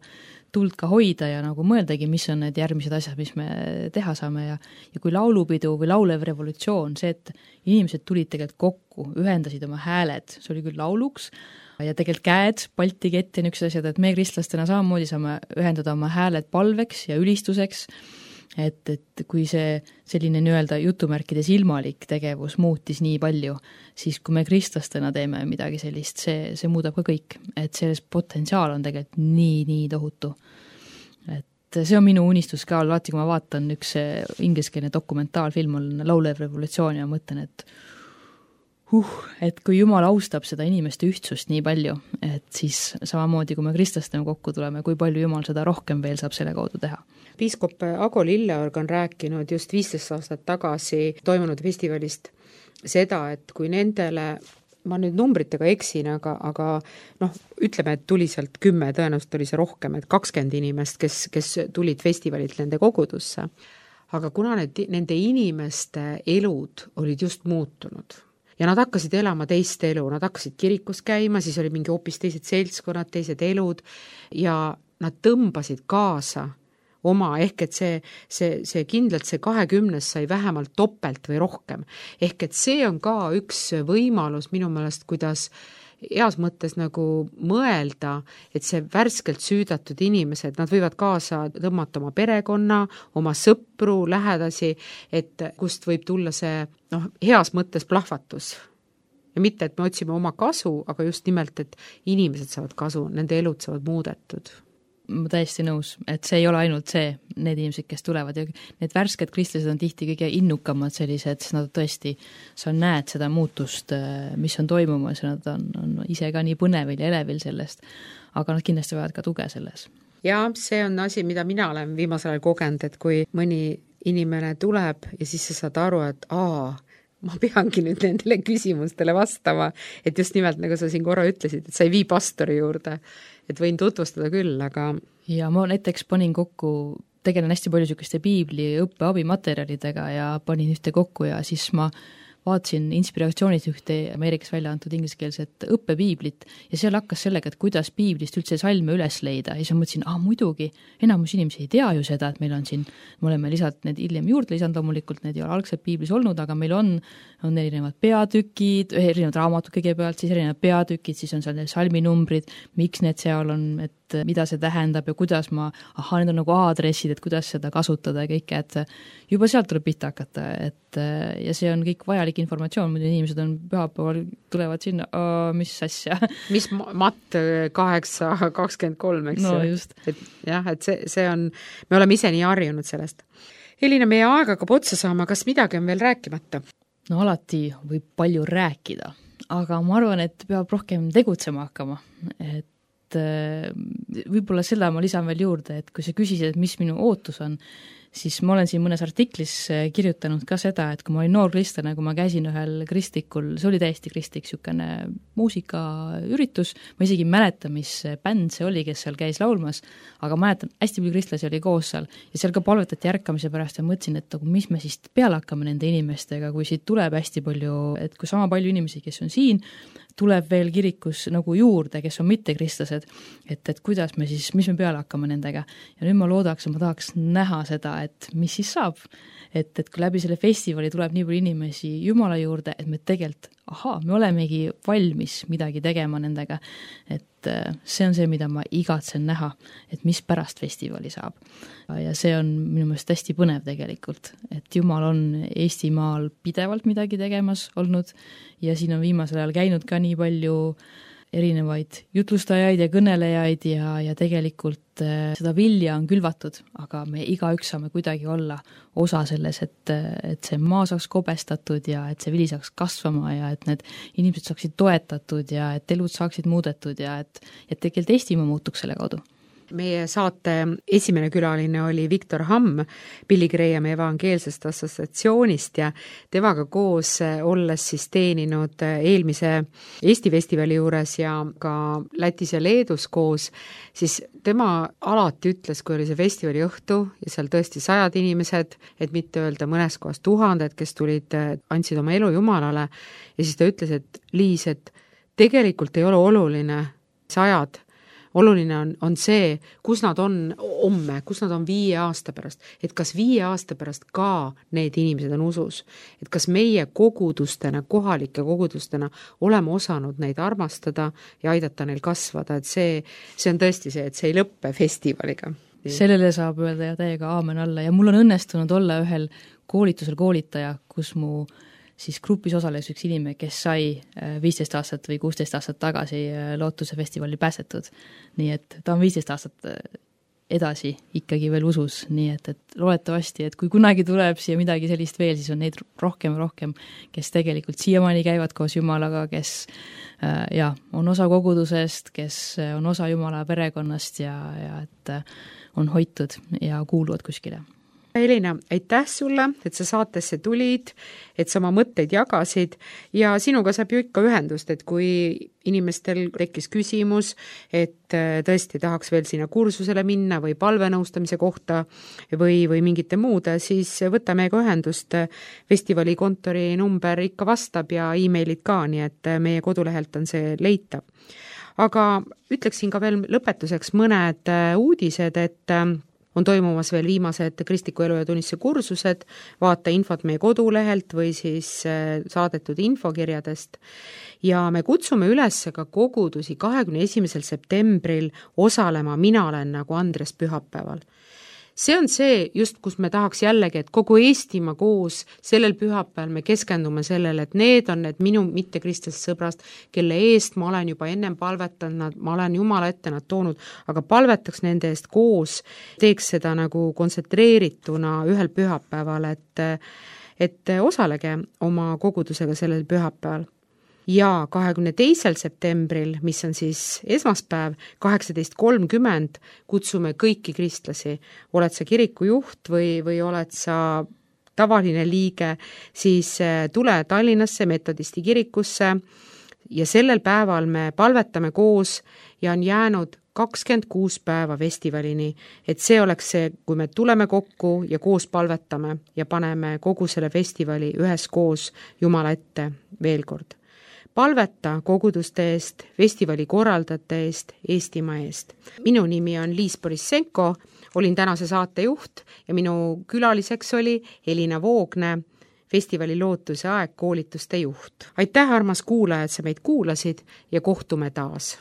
E: tuld ka hoida ja nagu mõeldagi, mis on need järgmised asjad, mis me teha saame ja kui laulupidu või laulev revolutsioon, see, et inimesed tulid tegelikult kokku, ühendasid oma hääled, see oli küll lauluks ja tegelikult käed, Balti kett ja niisugused asjad, et me kristlastena samamoodi saame ühendada oma hääled palveks ja ülistuseks, et kui see selline nii-öelda jutumärkides ilmalik tegevus muutis nii palju, siis kui me kristlastena teeme midagi sellist, see muudab ka kõik, et selles potentsiaal on tegelikult nii tohutu. Et see on minu unistus ka, alati kui ma vaatan üks ingliskeelne dokumentaalfilm on Laulev revolutsioon ja mõtlen, et kui Jumal austab seda inimeste ühtsust nii palju, et siis samamoodi, kui me kristlastena kokku tuleme, kui palju Jumal seda rohkem veel saab selle kaudu teha.
B: Piiskop Ago Lilleorg on rääkinud just 15 aastat tagasi toimunud festivalist seda, et kui nendele, ma nüüd numbritega eksin, aga ütleme, et tuli sealt 10, tõenäoliselt oli see rohkem, et 20 inimest, kes tulid festivalilt nende kogudusse. Aga kuna nende inimeste elud olid just muutunud ja nad hakkasid elama teist elu, nad hakkasid kirikus käima, siis oli mingi hoopis teised seltskonnad, teised elud ja nad tõmbasid kaasa oma, ehk et see kindlalt see 20 sai vähemalt topelt või rohkem. Ehk et see on ka üks võimalus minu meelest, kuidas heas mõttes nagu mõelda, et see värskelt süüdatud inimesed, nad võivad kaasa tõmmata oma perekonna, oma sõpru, lähedasi, et kust võib tulla see heas mõttes plahvatus. Ja mitte, et me otsime oma kasu, aga just nimelt, et inimesed saavad kasu, nende elud saavad muudetud.
E: Ma täiesti nõus, et see ei ole ainult see, need inimesed, kes tulevad ja need värsked kristlased on tihti kõige innukamad sellised, sest nad tõesti, sa näed seda muutust, mis on toimumas ja nad on ise ka nii põnevil ja elevil sellest, aga nad kindlasti vajavad ka tuge selles.
B: Ja see on asi, mida mina olen viimasel ajal kogenud, et kui mõni inimene tuleb ja siis sa saad aru, et ma peangi nüüd nendele küsimustele vastama, et just nimelt, nagu sa siin korra ütlesid, et sa ei vii pastori juurde, et võin tutvustada küll, aga...
E: Ja ma näiteks panin kokku, tegelen hästi palju niisuguste piibli õppeabimaterjalidega ja panin ühte kokku ja siis ma vaatasin inspiratsioonid ühte Ameerikas välja antud ingliskeelset õppepiiblit ja seal hakkas sellega, et kuidas piiblist üldse salme üles leida ja siis ma mõtlesin, muidugi, enamus inimesi ei tea ju seda, et meil on siin, me oleme lisalt need hiljem juurde lisanud loomulikult, need ei ole algselt piiblis olnud, aga meil on erinevad peatükid, erinevad raamatud kõigepealt, siis erinevad peatükid, siis on seal need salminumbrid, miks need seal on, et mida see tähendab ja kuidas need on nagu aadressid, et kuidas seda kasutada ja kõike, et juba sealt tuleb pihta hakata, ja see on kõik vajalik informatsioon, muidu inimesed on pühapäeval, tulevad sinna, mis asja.
B: Mis Matt 8:23, eks?
E: No just.
B: Et see on, me oleme ise nii harjunud sellest. Elina, meie aeg hakkab otsa saama, kas midagi on veel rääkimata?
E: No alati võib palju rääkida, aga ma arvan, et peab rohkem tegutsema hakkama, et võib-olla selle ma lisan veel juurde, et kui sa küsisid, et mis minu ootus on, siis ma olen siin mõnes artiklis kirjutanud ka seda, et kui ma olin noor kristlane, kui ma käisin ühel kristlikul, see oli täiesti kristlik niisugune muusikaüritus, ma isegi ei mäleta, mis bänd see oli, kes seal käis laulmas, aga mäletan, hästi palju kristlasi oli koos seal ja seal ka palvetati ärkamise pärast ja mõtlesin, et mis me siis peale hakkame nende inimestega, kui siit tuleb hästi palju, et kui sama palju inimesi, kes on siin, tuleb veel kirikus nagu juurde, kes on mittekristlased, et kuidas me siis, mis me peale hakkame nendega. Ja nüüd ma tahaks näha seda, et mis siis saab. Et kui läbi selle festivali tuleb nii palju inimesi Jumala juurde, et me tegelikult, me olemegi valmis midagi tegema nendega. Et see on see, mida ma igatsen näha, et mis pärast festivali saab. Ja see on minu meelest hästi põnev tegelikult, et Jumal on Eestimaal pidevalt midagi tegemas olnud ja siin on viimasel ajal käinud ka nii palju erinevaid jutlustajaid ja kõnelejaid ja tegelikult seda vilja on külvatud, aga me igaüks saame kuidagi olla osa selles, et see maa saaks kobestatud ja et see vili saaks kasvama ja et need inimesed saaksid toetatud ja et elud saaksid muudetud ja et tegelikult Eestimaa muutuks selle kaudu.
B: Meie saate esimene külaline oli Viktor Hamm Billy Grahami evangeelsest assotsiatsioonist ja temaga koos olles siis teeninud eelmise Eesti festivali juures ja ka Lätis ja Leedus koos, siis tema alati ütles, kui oli see festivali õhtu ja seal tõesti 100 inimesed, et mitte öelda mõnes kohas 1000, kes tulid, andsid oma elu Jumalale ja siis ta ütles, et Liis, et tegelikult ei ole oluline 100, oluline on see, kus nad on homme, kus nad on 5 aasta pärast, et kas 5 aasta pärast ka need inimesed on usus, et kas meie kogudustena, kohalike kogudustena oleme osanud neid armastada ja aidata neil kasvada, et see on tõesti see, et see ei lõppe festivaliga.
E: Sellele saab öelda ja täiega aamen alla ja mul on õnnestunud olla ühel koolitusel koolitaja, kus mu siis grupis osales üks inimene, kes sai 15 aastat või 16 aastat tagasi Lootuse festivali pääsetud. Nii et ta on 15 aastat edasi ikkagi veel usus, nii et loodetavasti, et kui kunagi tuleb siia midagi sellist veel, siis on neid rohkem, kes tegelikult siiamaani käivad koos Jumalaga, kes on osa kogudusest, kes on osa Jumala perekonnast ja et on hoitud ja kuuluvad kuskile.
B: Elina, aitäh sulle, et sa saatesse tulid, et sa oma mõtteid jagasid ja sinuga saab ju ikka ühendust, et kui inimestel tekkis küsimus, et tõesti tahaks veel sinna kursusele minna või palvenõustamise kohta või mingite muude, siis võta meiega ühendust. Festivali kontori number ikka vastab ja e-mailid ka, nii et meie kodulehelt on see leitav. Aga ütleksin ka veel lõpetuseks mõned uudised, et on toimumas veel viimased kristliku elu ja tunnistuse kursused, vaata infot meie kodulehelt või siis saadetud infokirjadest. Ja me kutsume üles ka kogudusi 21. septembril osalema Mina olen nagu Andres pühapäeval. See on see just, kus me tahaks jällegi, et kogu Eestimaa koos sellel pühapäeval me keskendume sellele, et need on need minu mittekristlased sõbrast, kelle eest ma olen juba ennem palvetanud, ma olen Jumala ette nad toonud, aga palvetaks nende eest koos, teeks seda nagu kontsentreerituna ühel pühapäeval, et osalege oma kogudusega sellel pühapäeval. Ja 22. septembril, mis on siis esmaspäev, 18.30, kutsume kõiki kristlasi. Oled sa kirikujuht või oled sa tavaline liige, siis tule Tallinnasse metodisti kirikusse ja sellel päeval me palvetame koos ja on jäänud 26 päeva festivalini, et see oleks see, kui me tuleme kokku ja koos palvetame ja paneme kogu selle festivali üheskoos Jumala ette veel kord. Palveta koguduste eest, festivali korraldajate eest, Eestimaa eest. Minu nimi on Liis Borissenko, olin tänase saatejuht ja minu külaliseks oli Elina Voogne, festivali Lootuse aeg koolituste juht. Aitäh, armas kuulaja, et sa meid kuulasid ja kohtume taas.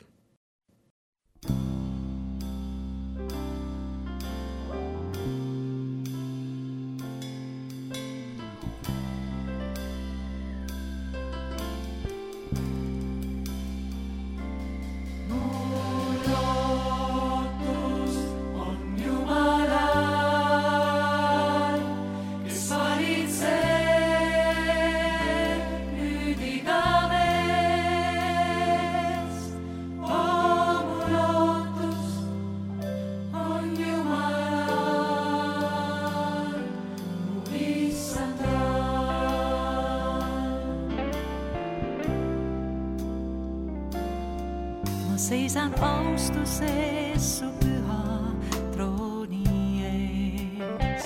F: Seisan austuses su püha trooni ees.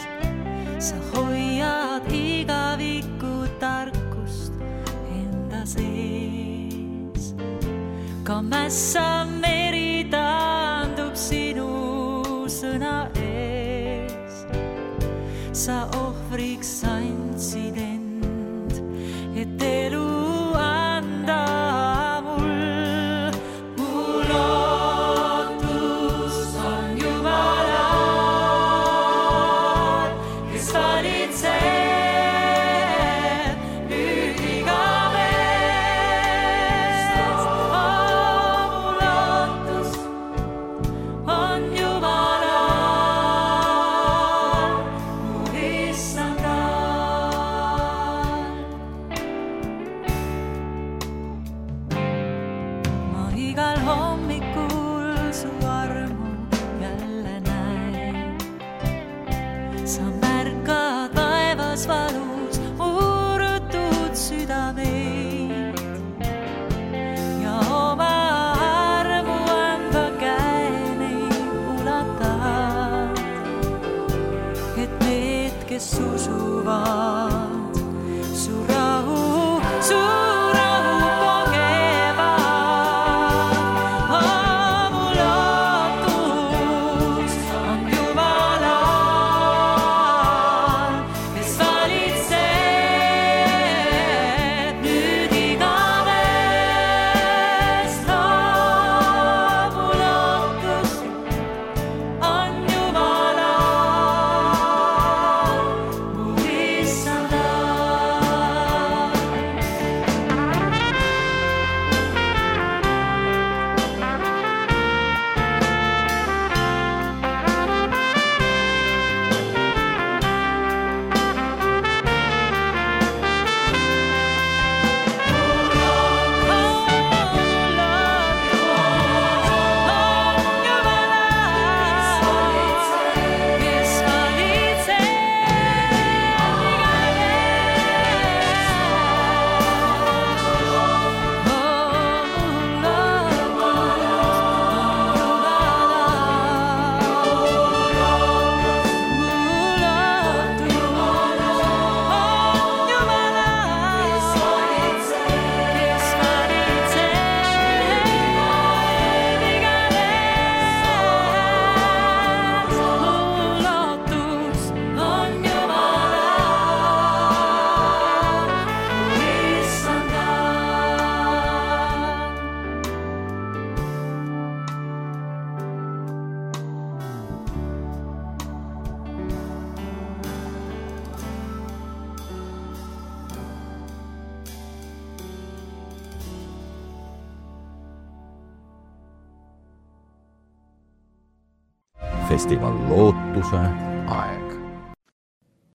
F: Sa hoiad igavikku tarkust enda sees. Ka mässa meri taandub sinu sõna ees. sa ohvriks andsid end, et elu anda mul. Mu lootus on Jumalal, kes valitseb nüüd igavest. Mu lootus on Jumalal, mu issandal. Ma igal hommikul su armu jälle näen. Sa märkad vaevas valus murtud südameid ja oma armu anda käe neid ulatad, et need, kes usuvad, su rahu kogevad. Mu lootus on Jumalal, kes valitseb nüüd igavest. Mu lootus on Jumalal, mu issandal.
A: Festival Lootuse aeg.